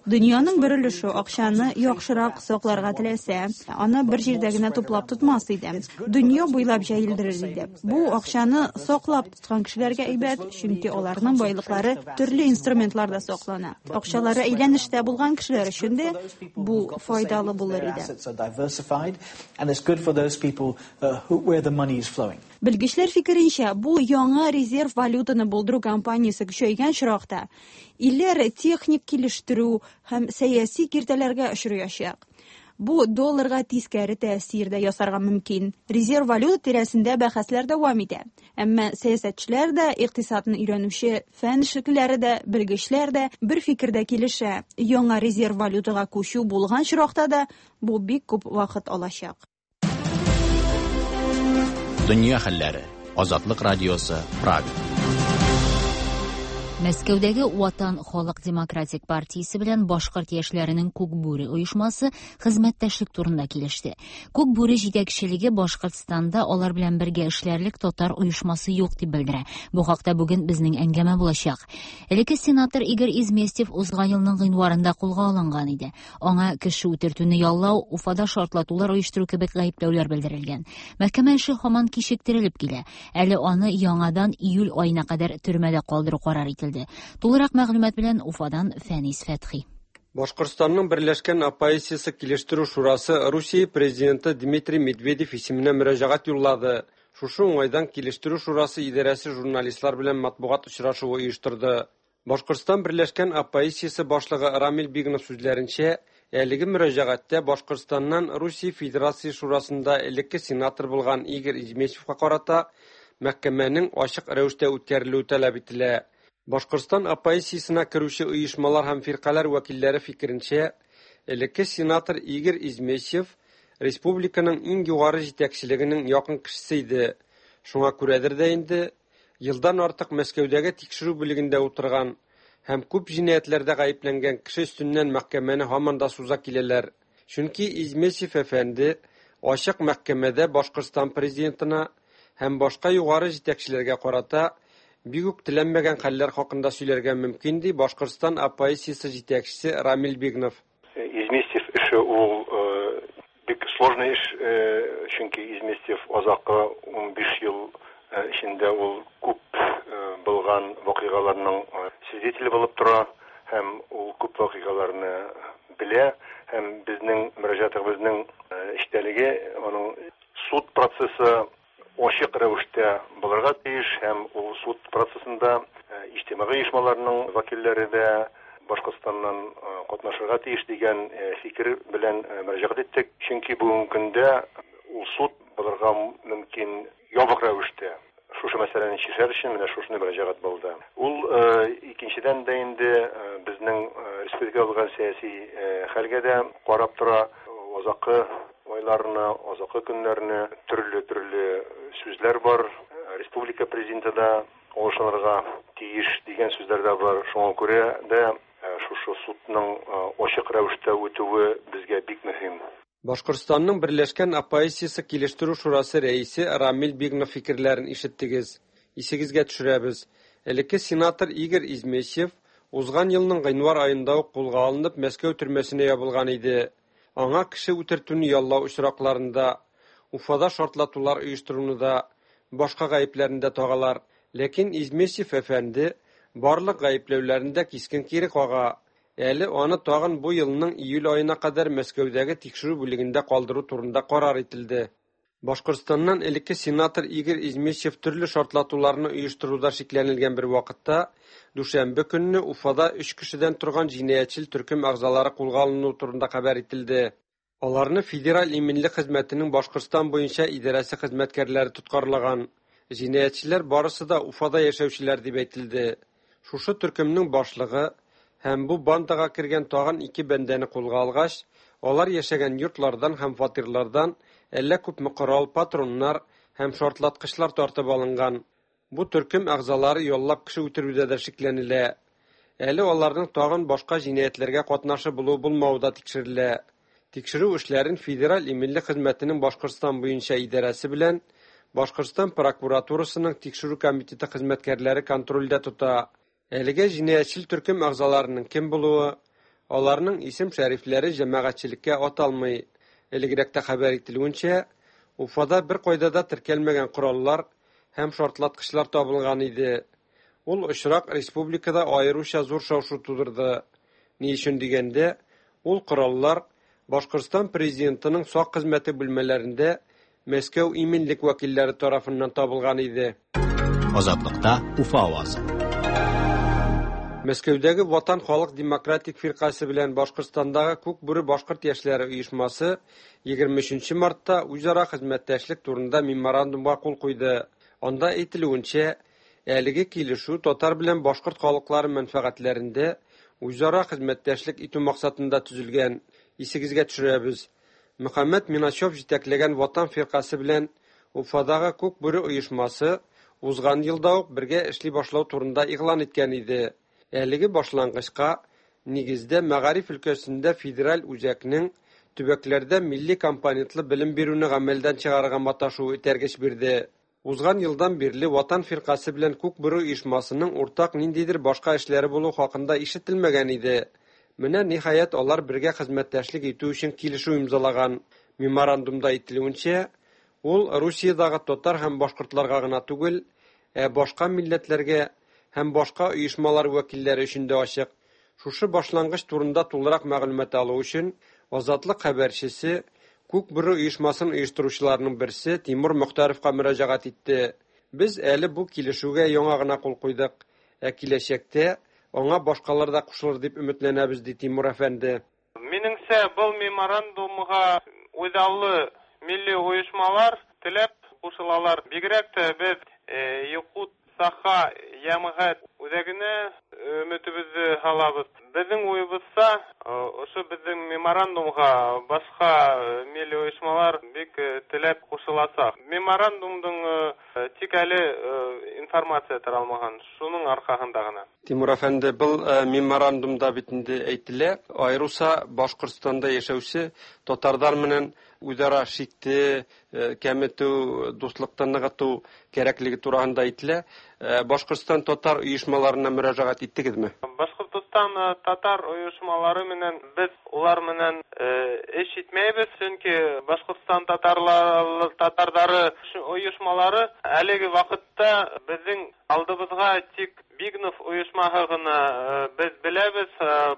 Дөньяның бер өлеше акчаны яхшырак сакларга теләсә, аны бер җирдә генә туплап тотмас иде. Дөнья буйлап җәелдерер иде. Бу акчаны саклап тоткан кешеләргә әйбәт, чөнки аларның байлыклары төрле инструментларда саклана. Акчалары әйләнештә булган кешеләр өчен дә бу файдалы булыр иде. Белгечләр фикеренчә, бу яңа резерв валютаны булдыру кампаниясе көчәйгән чоракта илләр техник килештерү һәм сәяси киртәләргә очраячак. Бу долларга тискәре тәэсир дә ясарга мөмкин. Резерв валюта тирәсендә бәхәсләр дәвам итә. Әмма сәясәтчеләр дә, икътисадны өйрәнүче фән эшлеклеләре дә, белгечләр дә бер фикердә килешә. Яңа резерв валютага күчү булган чоракта да бу бик күп вакыт алачак. Дөнья хәлләре. Азатлык радиосы, Прага. Мәскәүдәге Ватан халык демократик партиясе белән башкорт яшьләренең Күк бүре оешмасы хезмәттәшлек турында килеште. Күк бүре җитәкчелеге Башкортстанда алар белән бергә эшләрлек татар оешмасы юк дип белдерә. Бу хакта бүген безнең әңгәмә булачак. Элекке сенатор Игорь Изместьев узган елның гыйнварында кулга алынган иде. Аңа кеше үтертүне яллау, Уфада шартлатулар оештыру кебек гаепләүләр белдерелгән. Мәхкәмә эше һаман кичектерелеп килә. Әле аны яңадан июль аена кадәр төрмәдә калдыру карар ителде. Тулырак мәгълүмат белән Уфадан Фәнис Фәтхи. Башкортстанның Берләшкән оппозициясе килештерү шурасы Русия президенты Дмитрий Медведев исеменә мөрәҗәгать юллады. Шушы уңайдан килештерү шурасы идарәсе журналистлар белән матбугат очрашуы оештырды. Башкортстан Берләшкән оппозициясе башлыгы Рамил Бигнов сүзләренчә, әлеге мөрәҗәгатьтә Башкортстаннан Русия Федерация шурасында элекке сенатор булган Игорь Изместьевка карата мәхкәмәнең ачык рәвештә үткәрелүе таләп ителә. Башкортстан оппозициясенә керүче оешмалар һәм фиркаләр вәкилләре фикеренчә, элекке сенатор Игорь Изместьев республиканың иң югары җитәкчелегенең якын кешесе иде. Шуңа күрәдер дә инде елдан артык Мәскәүдәге тикшерү бүлегендә утырган һәм күп җинаятьләрдә гаепләнгән кеше өстеннән мәхкәмәне һаман да суза киләләр. Чөнки Изместьев әфәнде ачык мәхкәмәдә Башкортстан президентына һәм башка югары җитәкчеләргә карата бик үк теләнмәгән хәлләр хакында сөйләргә мөмкин, ди Башкортстан оппозициясе җитәкчесе Рамил Бигнов. Изместьев эше ул бик сложный эш, чөнки Изместьев азакы унбиш ел эчендә ул күп булган вакыйгаларның свидетеле булып тора һәм ул күп вакыйгаларны белә, һәм безнең мөрәҗәгатебезнең эчтәлеге аның суд процессы ачык рәвештә булырга тиеш, һәм ул суд процессында иҗтимагый оешмаларның вәкилләре дә Башкортстаннан катнашырга тиеш дигән фикер белән мөрәҗәгать иттек. Чөнки бүгенге көндә ул суд булырга мөмкин ябык рәвештә. Шушы мәсьәләне чишәр өчен менә шушыны мөрәҗәгать булды. Ул икенчедән дә инде безнең республикада булган сәяси хәлгә дә карап тора. Азакы айларына, азакы көннәренә төрле-төрле сүзләр бар. Республика президенты да алышынырга тиеш дигән сүзләр дә бар. Шуңа күрә дә шушы судның ачык рәвештә үтүе безгә бик мөһим. Башкортстанның Берләшкән оппозициясе килештерү шурасы рәисе Рамил Бигнов фикерләрен ишеттегез. Исегезгә төшерәбез. Элекке сенатор Игорь Изместьев узган елның гыйнвар аенда ук кулга алынып Мәскәү төрмәсенә ябылган иде. Аңа кеше үтертүне яллау очракларында, Уфада шартлатулар оештыруны да, башка гаепләрне дә тагалар. Ләкин Изместьев әфәнде барлык гаепләүләрен дә кискен кире кага. Әле аны тагын бу елның июль аена кадәр Мәскәүдәге тикшерү бүлегендә калдыру турында карар ителде. Башкортстаннан элекке сенатор Игорь Изместьев төрле шартлатуларны оештыруда шикләнелгән бер вакытта дүшәмбе көнне Уфада өч кешедән торган җинаятьчел төркем әгъзалары кулга алыну турында хәбәр ителде. Аларны Федераль иминлек хезмәтенең Башкортстан буенча идарәсе хезмәткәрләре тоткарлаган. Җинаятьчеләр барысы да Уфада яшәүчеләр дип әйтелде. Шушы төркемнең башлыгы һәм бу бандага кергән тагын ике бәндәне кулга алгач, алар яшәгән йортлардан һәм фатирлардан әллә күпме корал, патроннар һәм шартлаткычлар тартып алынган. Бу төркем әгъзалары яллап кеше үтерүдә дә шикләнелә. Әле аларның тагын башка җинаятьләргә катнашы булу булмавы да тикшерелә. Тикшерү эшләрен Федераль иминлек хезмәтенең Башкортстан буенча идарәсе белән Башкортстан прокуратурасының тикшерү комитеты хезмәткәрләре контрольдә тота. Әлегә җинаятьчел төркем әгъзаларының кем булуы, аларның исем-шәрифләре җәмәгатьчелеккә аталмый. Элегрәк тә хәбәр ителүенчә, Уфада бер кайда да теркәлмәгән кораллар һәм шартлаткычлар табылган иде. Ул очрак республикада аеруча зур шау-шу тудырды. Ни өчен дигәндә, ул кораллар Башкортстан президентының сак хезмәте бүлмәләрендә Мәскәү иминлек вәкилләре тарафыннан табылган иде. Азатлыкта Уфа авазы. Мәскәүдәге Ватан халык демократик фиркасе белән Башкортстандагы Күк бүре башкорт яшьләре оешмасы егерме өченче мартта үзара хезмәттәшлек турында меморандумга кул куйды. Анда әйтелүенчә, әлеге килешү татар белән башкорт халыклары мәнфәгатьләрендә үзара хезмәттәшлек итү максатында төзелгән. Исегезгә төшерәбез. Мөхәммәт Миначев җитәкләгән Ватан фиркасе белән Уфадагы Күк бүре оешмасы узган елда ук бергә эшли башлау турында игълан иткән иде. Әлеге башлангычка нигездә мәгариф өлкәсендә федераль үзәкнең төбәкләрдә милли компонентлы белем бирүне гамәлдән чыгарырга маташуы этәргеч бирде. Узган елдан бирле Ватан фиркасе белән Күк бүре оешмасының уртак ниндидер башка эшләре булу хакында ишетелмәгән иде. Менә ниһаять алар бергә хезмәттәшлек итү өчен килешү имзалаган. Меморандумда әйтелүенчә, ул Русиядәге татар һәм башкортларга гына түгел, ә башка милләтләргә һәм башка оешмалар вәкилләре өчен дә ачык. Шушы башлангыч турында тулырак мәгълүмат алу өчен Азатлык хәбәрчесе Күк бүре оешмасын оештыручыларның берсе Тимур Мөхтәровка мөрәҗәгать итте. Без әле бу килешүгә яңа гына кул куйдык, ә киләчәктә аңа башкалар да кушылыр дип өметләнәбез, ди Тимур әфәнде. Минеңсә, был меморандумга үҙаллы милли ойошмалар теләп кушылалар. Бигерәк тә беҙ Якут Саха йәмғәт үҙәгенә өмөтөбөҙҙө һалабыҙ. Беҙҙең уйыбыҙса, ошо беҙҙең меморандумға башҡа милли ойошмалар бик теләп ҡушыласаҡ. Меморандумдың Тик әле информация таралмаган, шуның аркасында гына. Тимур әфәнде, был меморандумда бит инде әйтелә, аеруча Башкортстанда яшәүче татарлар менән үзара шикте кәметү, дуслыкты ныгыту кәрәклеге турында әйтелә. Башкортстан татар оешмаларына мөрәҗәгать иттегезме? Башкортстан татар оешмалары менән без улар менән эш итмәйбез, чөнки Башкортстан татарлары татарлары оешмалары әлеге вакытта безнең алдыбызга тик Бигнов оешмаһы гына без беләбез,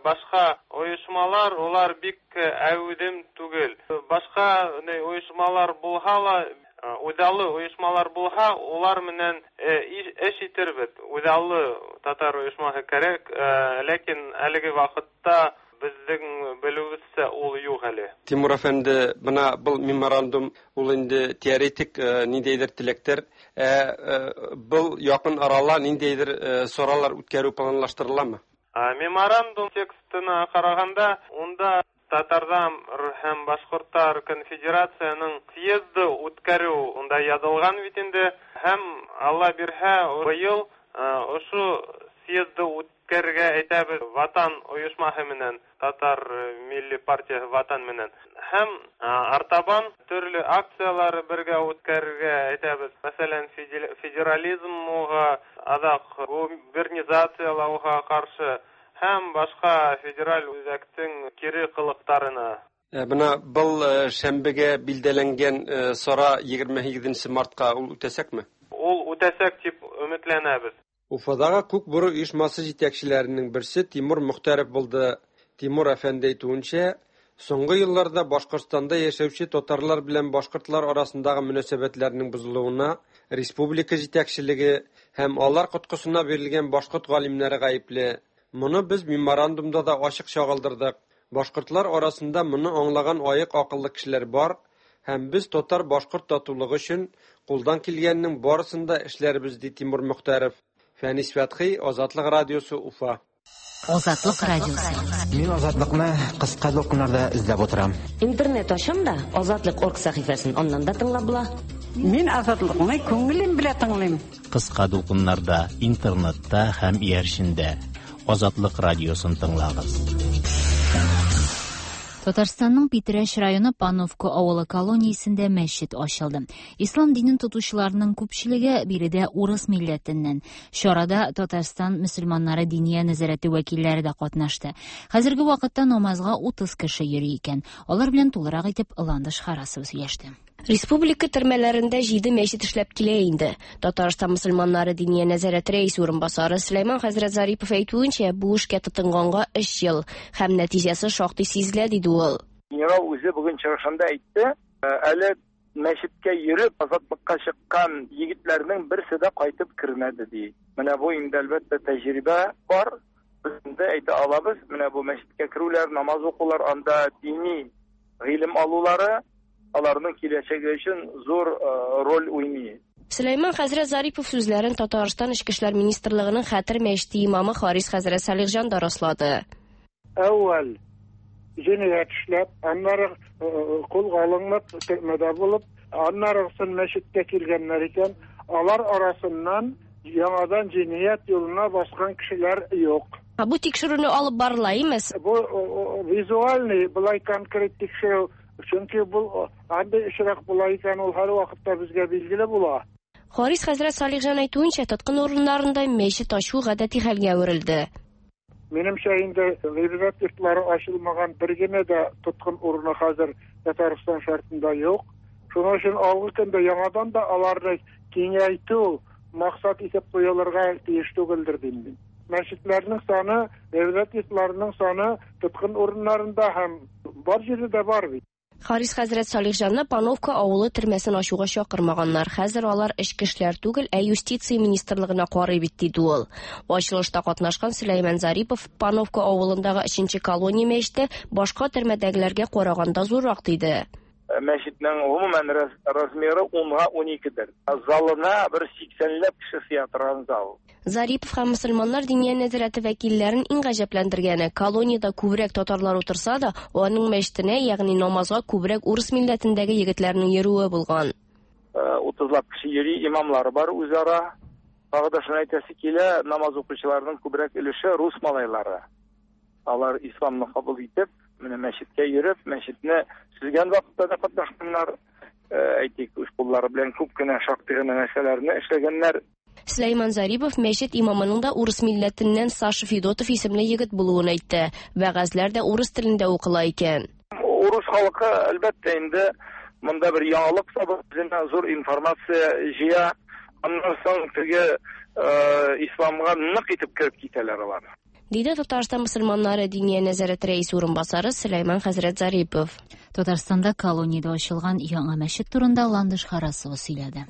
башка оешмалар улар бик әүдем түгел. Башка оешмалар булһа ла, үҙаллы оешмалар булһа, улар менән эш итербеҙ. Үҙаллы татар оешмаһы кәрәк, ләкин әлеге ваҡытта беҙҙең белеүебеҙсә ул юҡ әле. Тимур әфәнде, бына был меморандум ул инде теоретик ниндәйҙер теләктәр, был яҡын арала ниндәйҙер саралар үткәреү планлаштырыламы? Меморандум текстына ҡарағанда, унда татарҙар һәм башҡорттар конфедерацияның съезды үткәреү унда яҙылған бит инде, һәм Алла бирһә, быйыл ошо съезды үткәрергә әйтәбеҙ Ватан ойошмаһы менән, Татар милли партияһы Ватан менән. Һәм артабан төрлө акциялар бергә үткәрергә әйтәбеҙ. Мәҫәлән, федерализмға, аҙаҡ губернизациялауға ҡаршы һәм башҡа федераль үҙәктең кире ҡылыҡтарына. Бына был шәмбегә билдәләнгән сара егерме һигеҙенсе мартҡа ул үтәсәкме? Ул үтәсәк тип өмөтләнәбеҙ. Уфадағы Күк Бүре оешмасы җитәкчеләренең берсе Тимур Мөхтәров булды. Тимур әфәнде әйтүенчә, соңгы елларда Башкортстанда яшәүче татарлар белән башкортлар арасындагы мөнәсәбәтләрнең бозылуына республика җитәкчелеге һәм алар коткысына бирелгән башкорт галимнәре гаепле. Моны без меморандумда да ачык чагылдырдык. Башкортлар арасында моны аңлаган аек акыллы кешеләр бар һәм без татар-башкорт татулыгы өчен кулдан килгәннең барысын да эшләрбез, ди Тимур Мөхтәров. Фәнис Фәтхи, Азатлык радиосы, Уфа. Азатлык радиосы. Мин Азатлыкны кыска дулкыннарда эзләп утырам. Интернет ачам да Азатлык орг сәхифәсен аннан да тыңлап була. Мин Азатлыкны күңелем белән тыңлыйм. Кыска дулкыннарда, интернетта һәм иярчендә Азатлык радиосын тыңлагыз. Татарстанның Питрәч районы Пановка авылы колониясендә мәчет ачылды. Ислам динен тотучыларның күпчелеге биредә урыс милләтеннән. Чарада Татарстан мөселманнары диния нәзарәте вәкилләре дә катнашты. Хәзерге вакытта намазга утыз кеше йөри икән. Алар белән тулырак итеп Ландыш Харасова сөйләште. Республика төрмәләрендә җиде мәчет эшләп килә инде. Татарстан мөселманнары диния нәзарәте рәисе урынбасары Сөләйман хәзрәт Зарипов әйтүенчә, бу эшкә тотынганга өч ел һәм нәтиҗәсе шактый сизелә, диде ул. Генерал үзе бүген чыгышында әйтте, әле мәчеткә йөреп азатлыкка чыккан егетләрнең берсе дә кайтып кермәде ди. Менә бу инде әлбәттә тәҗрибә бар. Без инде әйтә алабыз, менә бу мәчеткә керүләр, намаз укулар, анда дини гыйлем алулары аларның киләчәге өчен зур роль уйный. Сөләйман хәзрәт Зарипов сүзләрен Татарстан Эчке эшләр министрлыгының Хәтер мәчете имамы Харис хәзрәт Салихҗан да раслады. Әүвәл җинаять эшләп, аннары кулга алынып, төрмәдә булып, аннары соң мәчеткә килгәннәр икән, алар арасыннан яңадан җинаять юлына баскан кешеләр юк. Бу тикшерүне алып барыла имеш. Бу визуальный, былай конкрет тикшерү. Чөнки бу андый очрак була икән, ул һәр вакытта безгә билгеле була. Харис хәзрәт Салихҗан әйтүенчә, тоткын урыннарында мәчет ачу гадәти хәлгә әверелде. Минемчә, инде гыйбадәт йортлары ачылмаган бер генә дә тоткын урыны хәзер Татарстан шартында юк. Шуның өчен алгы көндә яңадан да аларны киңәйтү максат итеп куелырга тиеш түгелдер дим мин. Мәчетләрнең саны, гыйбадәт йортларының саны тоткын урыннарында һәм бар җирдә дә бар бит. Харис хәзрәт Салихҗанны Пановка авылы төрмәсен ачуга чакырмаганнар. Хәзер алар эчке эшләр түгел, ә юстиция министрлыгына карый бит, диде ул. Ачылышта катнашкан Сөләйман Зарипов Пановка авылындагы өченче колония мәчете башка төрмәдәгеләргә караганда зуррак, диде. Мәчетнең гомумән размеры унга уникедер. Залына бер сиксәнләп кеше сыя торган зал. Зарипов һәм мөселманнар диния нәзарәте вәкилләрен иң гаҗәпләндергәне, колониядә күбрәк татарлар утырса да, аның мәчетенә, ягъни намазга күбрәк урыс милләтендәге егетләрнең йөрүе булган. Утызлап кеше йөри, имамлары бар үзара. Тагы да шуны әйтәсе килә, намаз укучыларның күбрәк өлеше рус малайлары. Алар исламны кабул итеп, менә мәчеткә йөреп, мәчетне төзегән вакытта да катнашканнар, әйтик, үз куллары белән күп кенә шактый гына нәрсәләрне эшләгәннәр. Сөләйман Зарипов мәчет имамының да урыс милләтеннән Саша Федотов исемле егет булуын әйтте. Вәгазьләр дә урыс телендә укыла икән. Урыс халкы әлбәттә инде монда бер яңалык табып, үзенә зур информация җыя. Аннан соң теге исламга нык итеп кереп китәләр алар. Диде Татарстан мөселманнары Диния нәзарәте рәисе урынбасары Сөләйман хәзрәт Зарипов. Татарстанда колониядә ачылган яңа мәчет турында Ландыш Харасова сөйләде.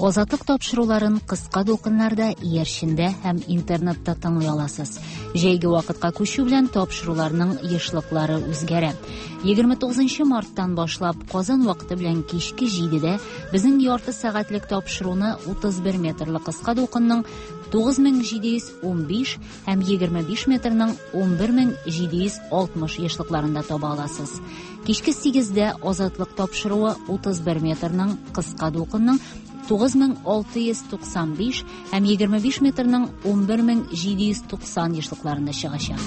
Азатлык тапшыруларын кыска дулкыннарда, иярчендә һәм интернетта тыңлый аласыз. Җәйге вакытка күчү белән тапшыруларның ешлыклары үзгәрә. егерме тугызынчы марттан башлап Казан вакыты белән кичке җидедә безнең ярты сәгатьлек тапшыруны утыз бер метрлы кыска дулкынның тугыз мең җиде йөз унбиш һәм егерме биш метрның унбер мең җиде йөз алтмыш ешлыкларында таба аласыз. Кичке сигездә Азатлык тапшыруы утыз бер метрның кыска дулкынның тугыз мең алты йөз туксан биш һәм егерме биш метрның унбер мең җиде йөз туксан ешлыкларында чыгачак.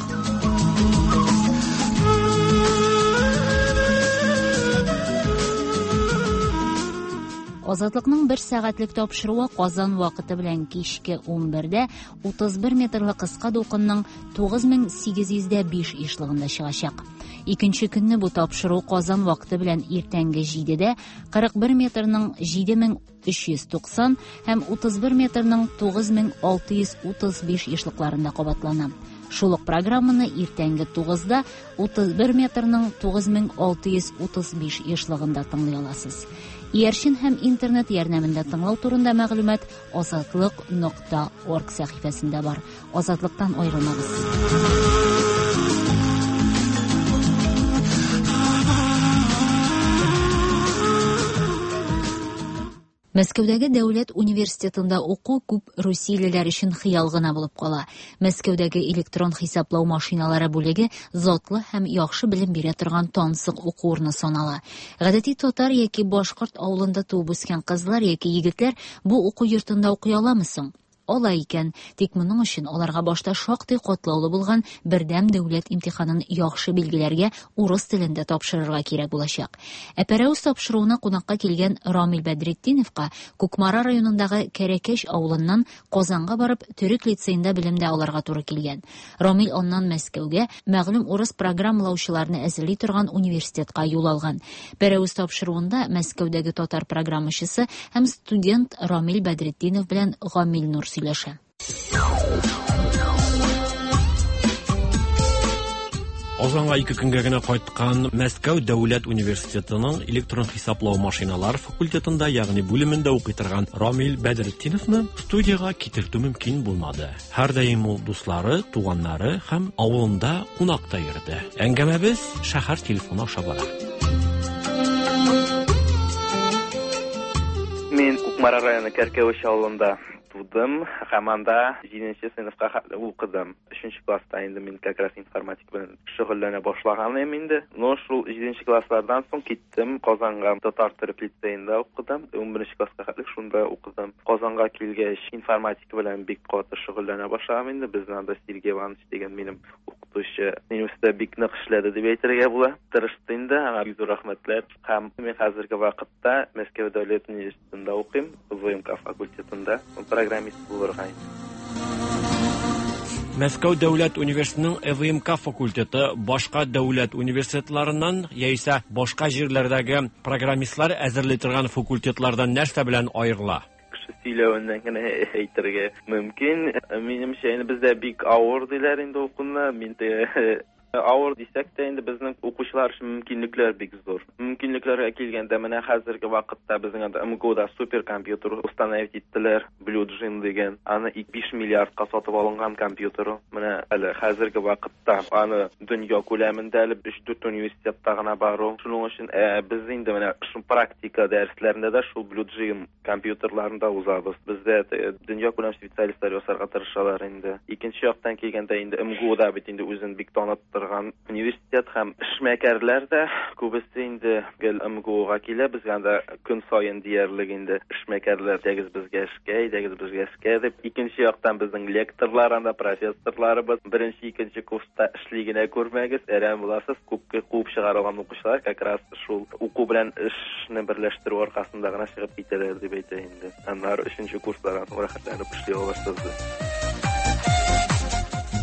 Азатлыкның бер сәгатьлек тапшыруы Казан вакыты белән кичке унбердә утыз бер метрлы кыска дулкынның тугыз мең сигез йөз дә биш ешлыгында чыгачак. Икенче көнне бу тапшыру Казан вакыты белән иртәнге җидедә кырык бер метрның җиде мең өч йөз туксан һәм утыз бер метрның тугыз мең алты йөз утыз биш ешлыкларында кабатлана. Шул ук программаны иртәнге тугызда утыз бер метрның тугыз мең алты йөз утыз биш ешлыгында тыңлый аласыз. Иярчен һәм интернет ярдәмендә тыңлау турында мәгълүмат азатлык нокта орг сәхифәсендә бар. Азатлыктан аерылмагыз. Мәскәүдәге дәүләт университетында уку күп русиялеләр өчен хыял гына булып кала. Мәскәүдәге электрон хисаплау машиналары бүлеге затлы һәм яхшы белем бирә торган тансык уку урыны санала. Гадәти татар яки башкорт авылында туып үскән кызлар яки егетләр бу уку йортында укый аламы соң? Ала икән, тик моның өчен аларга башта шактый катлаулы булган бердәм дәүләт имтиханын яхшы билгеләргә урыс телендә тапшырырга кирәк булачак. Ә Пәрәвез тапшыруына кунакка килгән Рамил Бәдретдиновка Кукмара районындагы Кәрәкәш авылыннан Казанга барып төрек лицеенда белем дә алырга туры килгән. Рамил аннан Мәскәүгә мәгълүм урыс программалаучыларны әзерли торган университетка юл алган. Пәрәвез тапшыруында Мәскәүдәге татар программачысы һәм студент Рамил Бәдретдинов белән Гамил Нур сөйләшә. Казанга ике көнгә генә кайткан Мәскәү дәүләт университетының электрон хисаплау машиналар факультетында, ягъни бүлемендә укый торган Рамил Бәдретдиновны студиягә китертү мөмкин булмады. Һәрдаим ул дуслары, туганнары һәм авылында кунакта йөрде. Әңгәмәбез шәһәр телефоны аша бара. Мин Кукмара районы Кәркәвеш авылында тудым һәм анда җиденче сыйныфка хәтле укыдым. Өченче класста инде мин как раз информатика белән шөгыльләнә башлаган идем инде. Но шул җиденче класслардан соң киттем Казанга, татар төрек лицеенда укыдым. Унберенче класска хәтле шунда укыдым. Казанга килгәч информатика белән бик каты шөгыльләнә башладым инде. Безнең анда Сергей Иванович дигән минем укытучы университетта бик нык эшләде дип әйтергә була. Тырышты инде, аңа бик зур рәхмәтләр. Һәм мин хәзерге вакытта Мәскәү дәүләт университетында укыйм, ВМК факультетында программист булырга. Мәскәү дәүләт университетының ВМК факультеты башка дәүләт университетларыннан яисә башка җирләрдәге программистлар әзерли торган факультетлардан нәрсә белән аерыла? Кеше сөйләвеннән генә әйтергә мөмкин. Минемчә, инде бездә бик авыр диләр инде укуны. Мин теге Авыр дисәк тә инде безнең укучылар өчен мөмкинлекләр бик зур. Мөмкинлекләргә килгәндә, менә хәзерге вакытта безнең анда МГУда суперкомпьютер установить иттеләр, Blue Gene дигән. Аны биш миллиардка сатып алынган компьютер. Менә әле хәзерге вакытта аны дөнья күләмендә әле өч-дүрт университетта гына бар ул. Шуның өчен без инде менә шул практика дәресләрендә дә шул Blue Gene компьютерларында узабыз. Бездә дөнья күләм специалистлар ясарга тырышалар инде. Икенче яктан килгәндә инде МГУда бит инде үзен бик таныттырган университет һәм эшмәкәрләр дә күбесе инде гел МГУга килә. Безгә анда көн саен диярлек инде эшмәкәрләр әйдәгез безгә эшкә, әйдәгез безгә эшкә дип. Икенче яктан безнең лекторлар анда, профессорларыбыз беренче, икенче курста эшли генә күрмәгез, әрәм буласыз. Күпкә куып чыгарылган укучылар как раз шул уку белән эшне берләштерү аркасында гына чыгып китәләр дип әйтә инде. Аннары өченче курслардан рәхәтләнеп эшли аласыз.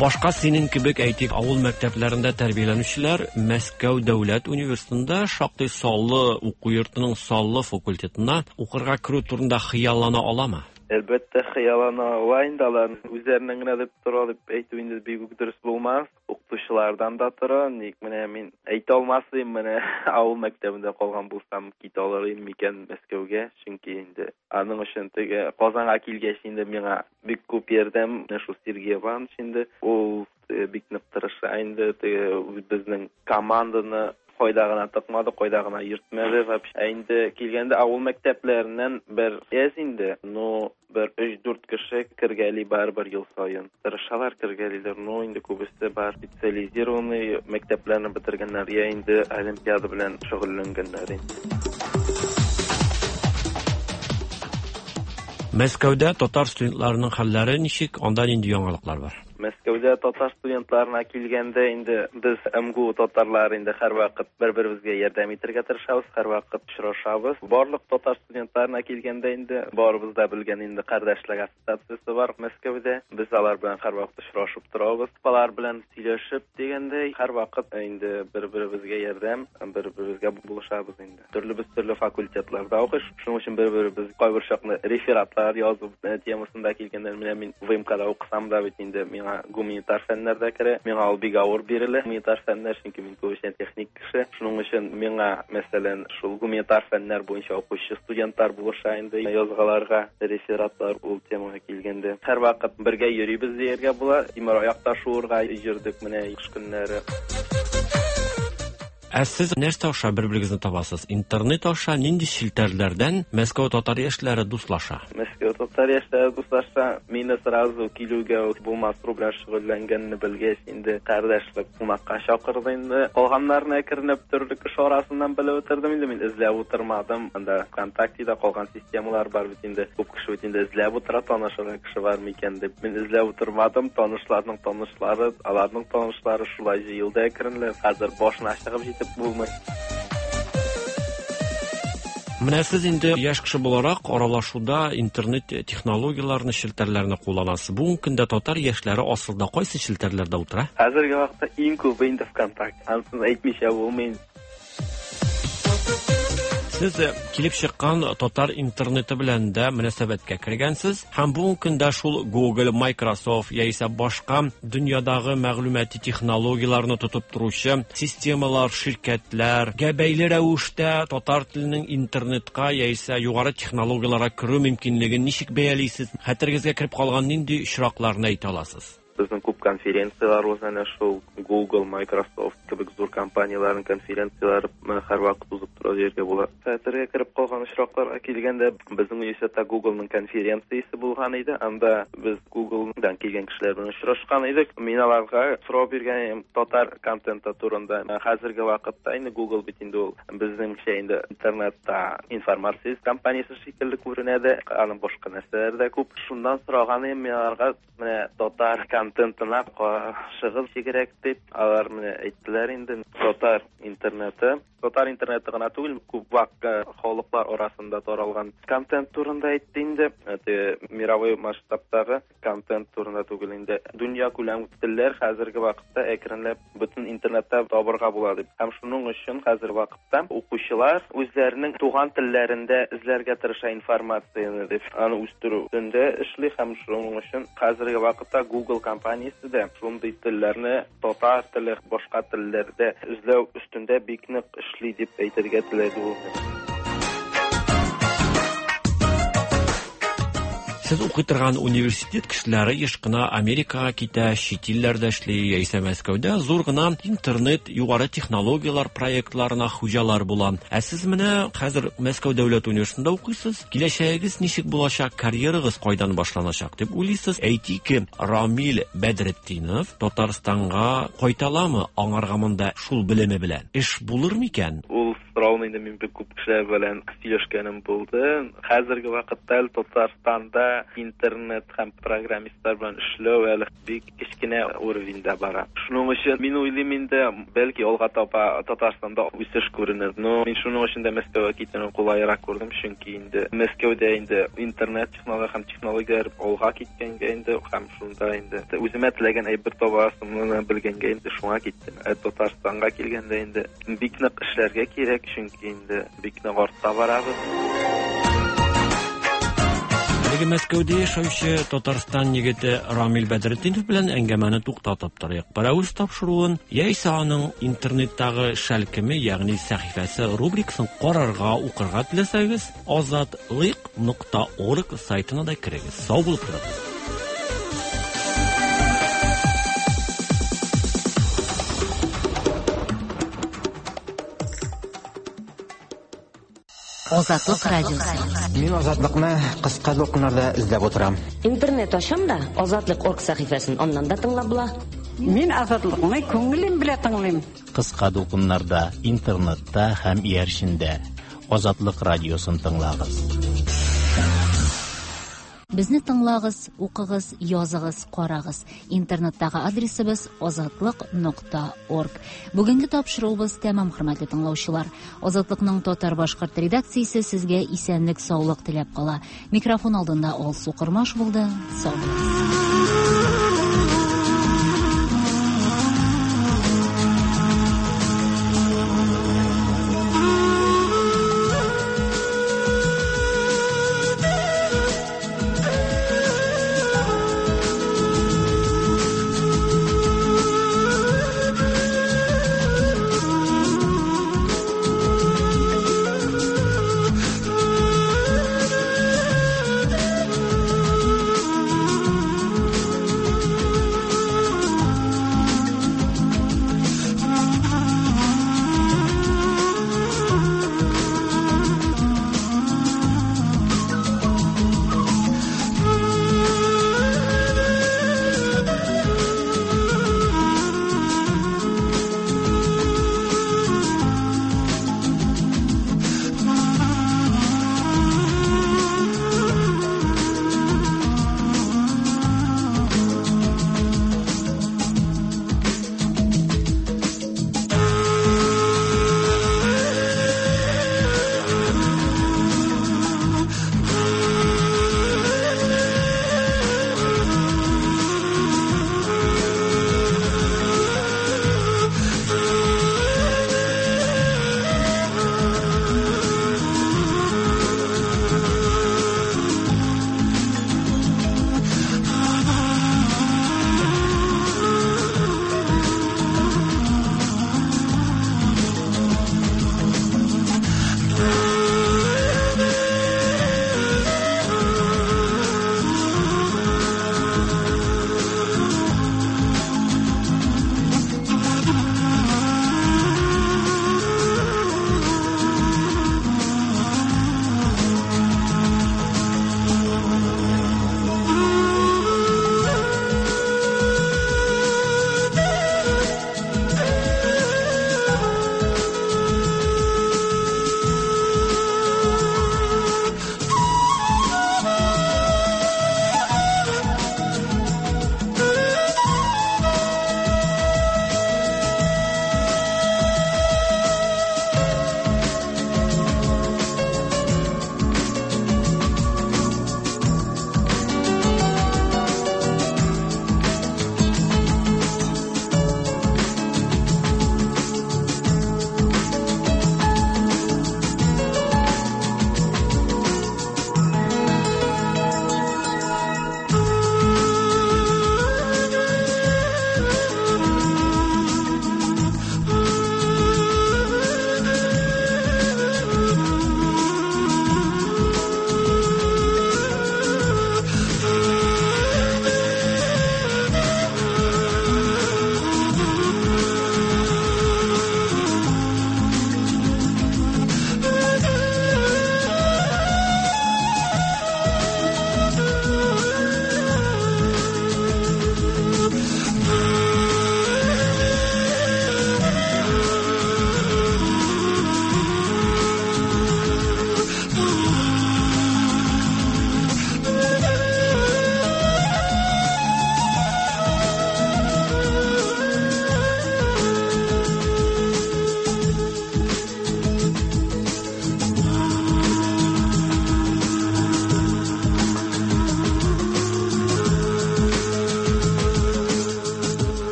Башка синең кебек, әйтик, авыл мәктәпләрендә тәрбияләнүчеләр Мәскәү дәүләт университетында шактый саллы уку йортының саллы факультетына укырга керү турында хыяллана аламы? Әлбәттә, хыяллана ала инде алар. Үзләренең генә дип тора дип әйтү инде бик үк дөрес булмас. Укытучылардан да тора. Ник менә мин әйтә алмас идем, менә авыл мәктәбендә калган булсам, китә алыр идем микән Мәскәүгә? Чөнки инде аның өчен теге Казанга килгәч инде миңа бик күп ярдәм менә шул Сергей Иванович инде ул бик нык тырыша инде, теге безнең команданы кайда гына тыкмады, кайда гына йөртмәде. Ә инде килгәндә авыл мәктәпләреннән бер әз инде, но бер өч-дүрт кеше кергәли барыбер ел саен. Тырышалар, кергәлиләр, но инде күбесе бар специализированный мәктәпләрне бетергәннәр, я инде олимпиада белән шөгыльләнгәннәр инде. Мәскәүдә татар студентларының хәлләре ничек, анда нинди яңалыклар бар? Мәскәүдә татар студентларына килгәндә инде без МГУ татарлары инде һәрвакыт бер-беребезгә ярдәм итәргә тырышабыз, һәрвакыт очрашабыз. Барлык татар студентларына килгәндә инде барыбыз да белгән инде кардәшлек ассоциациясе бар Мәскәүдә. Без алар белән һәрвакыт очрашып торабыз. Алар белән сөйләшеп дигәндәй һәрвакыт инде бер-беребезгә ярдәм, бер-беребезгә булышабыз инде. Төрле без төрле факультетларда укыш, шуның өчен бер-беребез кайбер чакны рефератлар язып темасында килгәндә менә мин ВМКда укысам да бит инде миңа гуманитар фәннәр дә керә. Миңа ул бик авыр бирелә гуманитар фәннәр, чөнки мин күбесенчә техник кеше. Шуның өчен миңа, мәсәлән, шул гуманитар фәннәр буенча укучы студентлар булыша инде язгаларга, рефератлар ул темага килгәндә. Һәрвакыт бергә йөрибез дияргә була. Тимер аякта шуырга йөрдек менә кыш көннәре. Ә сез нәрсә аша бер-берегезне табасыз? Интернет аша нинди челтәрләрдән Мәскәү татар яшьләре дуслаша? Мәскәү татар яшьләре дуслаша. Мине сразу килүгә үк булмас белән шөгыльләнгәнне белгәч, инде кардәшлек кунакка чакырды инде. Калганнарны әкренләп төрле кеше арасыннан белеп утырдым инде. Мин эзләп утырмадым. Анда ВКонтактеда калган системалар бар бит инде. Күп кеше бит инде эзләп утыра, танышырга кеше бар микән дип. Мин эзләп утырмадым. Танышларның танышлары, аларның танышлары шулай җыелды әкренләп. Хәзер башына чыгып җитеп булмый. Менә сез инде яшь кеше буларак аралашуда интернет технологияләрен, челтәрләрне кулланасыз. Бүгенге көндә татар яшьләре асылда кайсы челтәрләрдә утыра? Хәзерге вакытта иң күбе инде ВКонтакте. Анысын әйтмичә булмый. Сез килеп чыккан татар интернеты белән дә мөнәсәбәткә кергәнсез һәм бүгенге көндә шул Google, Microsoft яисә башка дөньядагы мәгълүмати технологияләрне тотып торучы системалар, ширкәтләргә бәйле рәвештә татар теленең интернетка яисә югары технологияләргә керү мөмкинлеген ничек бәялисез? Хәтерегезгә кереп калган нинди очракларны әйтә аласыз? Безнең күп конференциялар уза, әнә шул Google, Microsoft кебек зур компанияләрнең конференцияләре һәрвакыт узып тора дияргә була. Хәтергә кереп калган очракларга килгәндә, безнең университетта Googleның конференциясе булган иде. Анда без Google'дан килгән кешеләр белән очрашкан идек. Мин аларга сорау биргән идем татар контенты турында. Хәзерге вакытта инде Google бит инде ул безнеңчә инде интернетта информация компаниясе шикелле күренә дә, аның башка нәрсәләре дә күп. Шуннан сораган идем мин аларга, менә татар контентына каршыгыз кирәк дип. Алар менә әйттеләр инде, татар интернеты Татар интернеты гына түгел, күп вак халыклар арасында таралган контент турында әйтте инде. Те мировой масштабтагы контент турында түгел инде. Дөнья күләм телләр хәзерге вакытта әкренләп бөтен интернетта табырга була дип. Һәм шуның өчен хәзер вакытта укучылар үзләренең туган телләрендә эзләргә тырыша информацияне дип, аны үстерү өстендә эшли һәм шуның өчен хәзерге вакытта Google компаниясе дә шундый телләрне татар теле, башка телләрдә эзләү өстендә бик нык эшли дип әйтергә теләде ул. Сез укый торган университет кешеләре еш кына Америкага китә, чит илләрдә эшли, яисә Мәскәүдә зур гына интернет, югары технологияләр проектларына хуҗалар була. Ә сез менә хәзер Мәскәү дәүләт университетында укыйсыз. Киләчәгегез ничек булачак, карьерагыз кайдан башланачак дип уйлыйсыз? Әйтик, Рамил Бәдретдинов Татарстанга кайталамы? Аңарга монда шул белеме белән эш булыр микән? Ул сорауны инде мин бик күп кешеләр белән сөйләшкәнем булды. Хәзерге вакытта Татарстанда интернет һәм программистлар белән эшләү әле бик кечкенә уровеньдә бара. Шуның өчен мин уйлыйм инде, бәлки алга таба Татарстанда үсеш күренер. Но мин шуның өчен дә Мәскәүгә китүне кулайрак күрдем, чөнки инде Мәскәүдә инде интернет технология һәм технологияләр алга киткәнгә инде һәм шунда инде үземә теләгән әйбер табасымны белгәнгә инде шуңа киттем. Ә Татарстанга килгәндә инде бик нык эшләргә кирәк, чөнки инде бик нык артта барабыз. Әлеге Мәскәүдә яшәүче Татарстан егете Рамил Бәдретдинов белән әңгәмәне туктатып торыйк. Пәрәвез тапшыруын яисә аның интернеттагы шәлкеме, ягъни сәхифәсе рубрикасын карарга, укырга теләсәгез, азатлык нокта орг сайтына да керегез. Сау булып торыгыз. Азатлык радиосы. Мин Азатлыкны кыска дулкыннарда эзләп утырам. Интернет ачам да Азатлык орг сәхифәсен аннан да тыңлап була. Мин Азатлыкны күңелем белән тыңлыйм. Кыска дулкыннарда, интернетта һәм иярчендә Азатлык радиосын тыңлагыз. Безне тыңлагыз, укыгыз, языгыз, карагыз. Интернеттагы адресыбыз азатлык нокта орг. Бүгенге тапшыруыбыз тәмам, хөрмәтле тыңлаучылар. Азатлыкның татар-башкорт редакциясе сезгә исәнлек, саулык теләп кала. Микрофон алдында Алсу Кормаш булды. Сау булыгыз.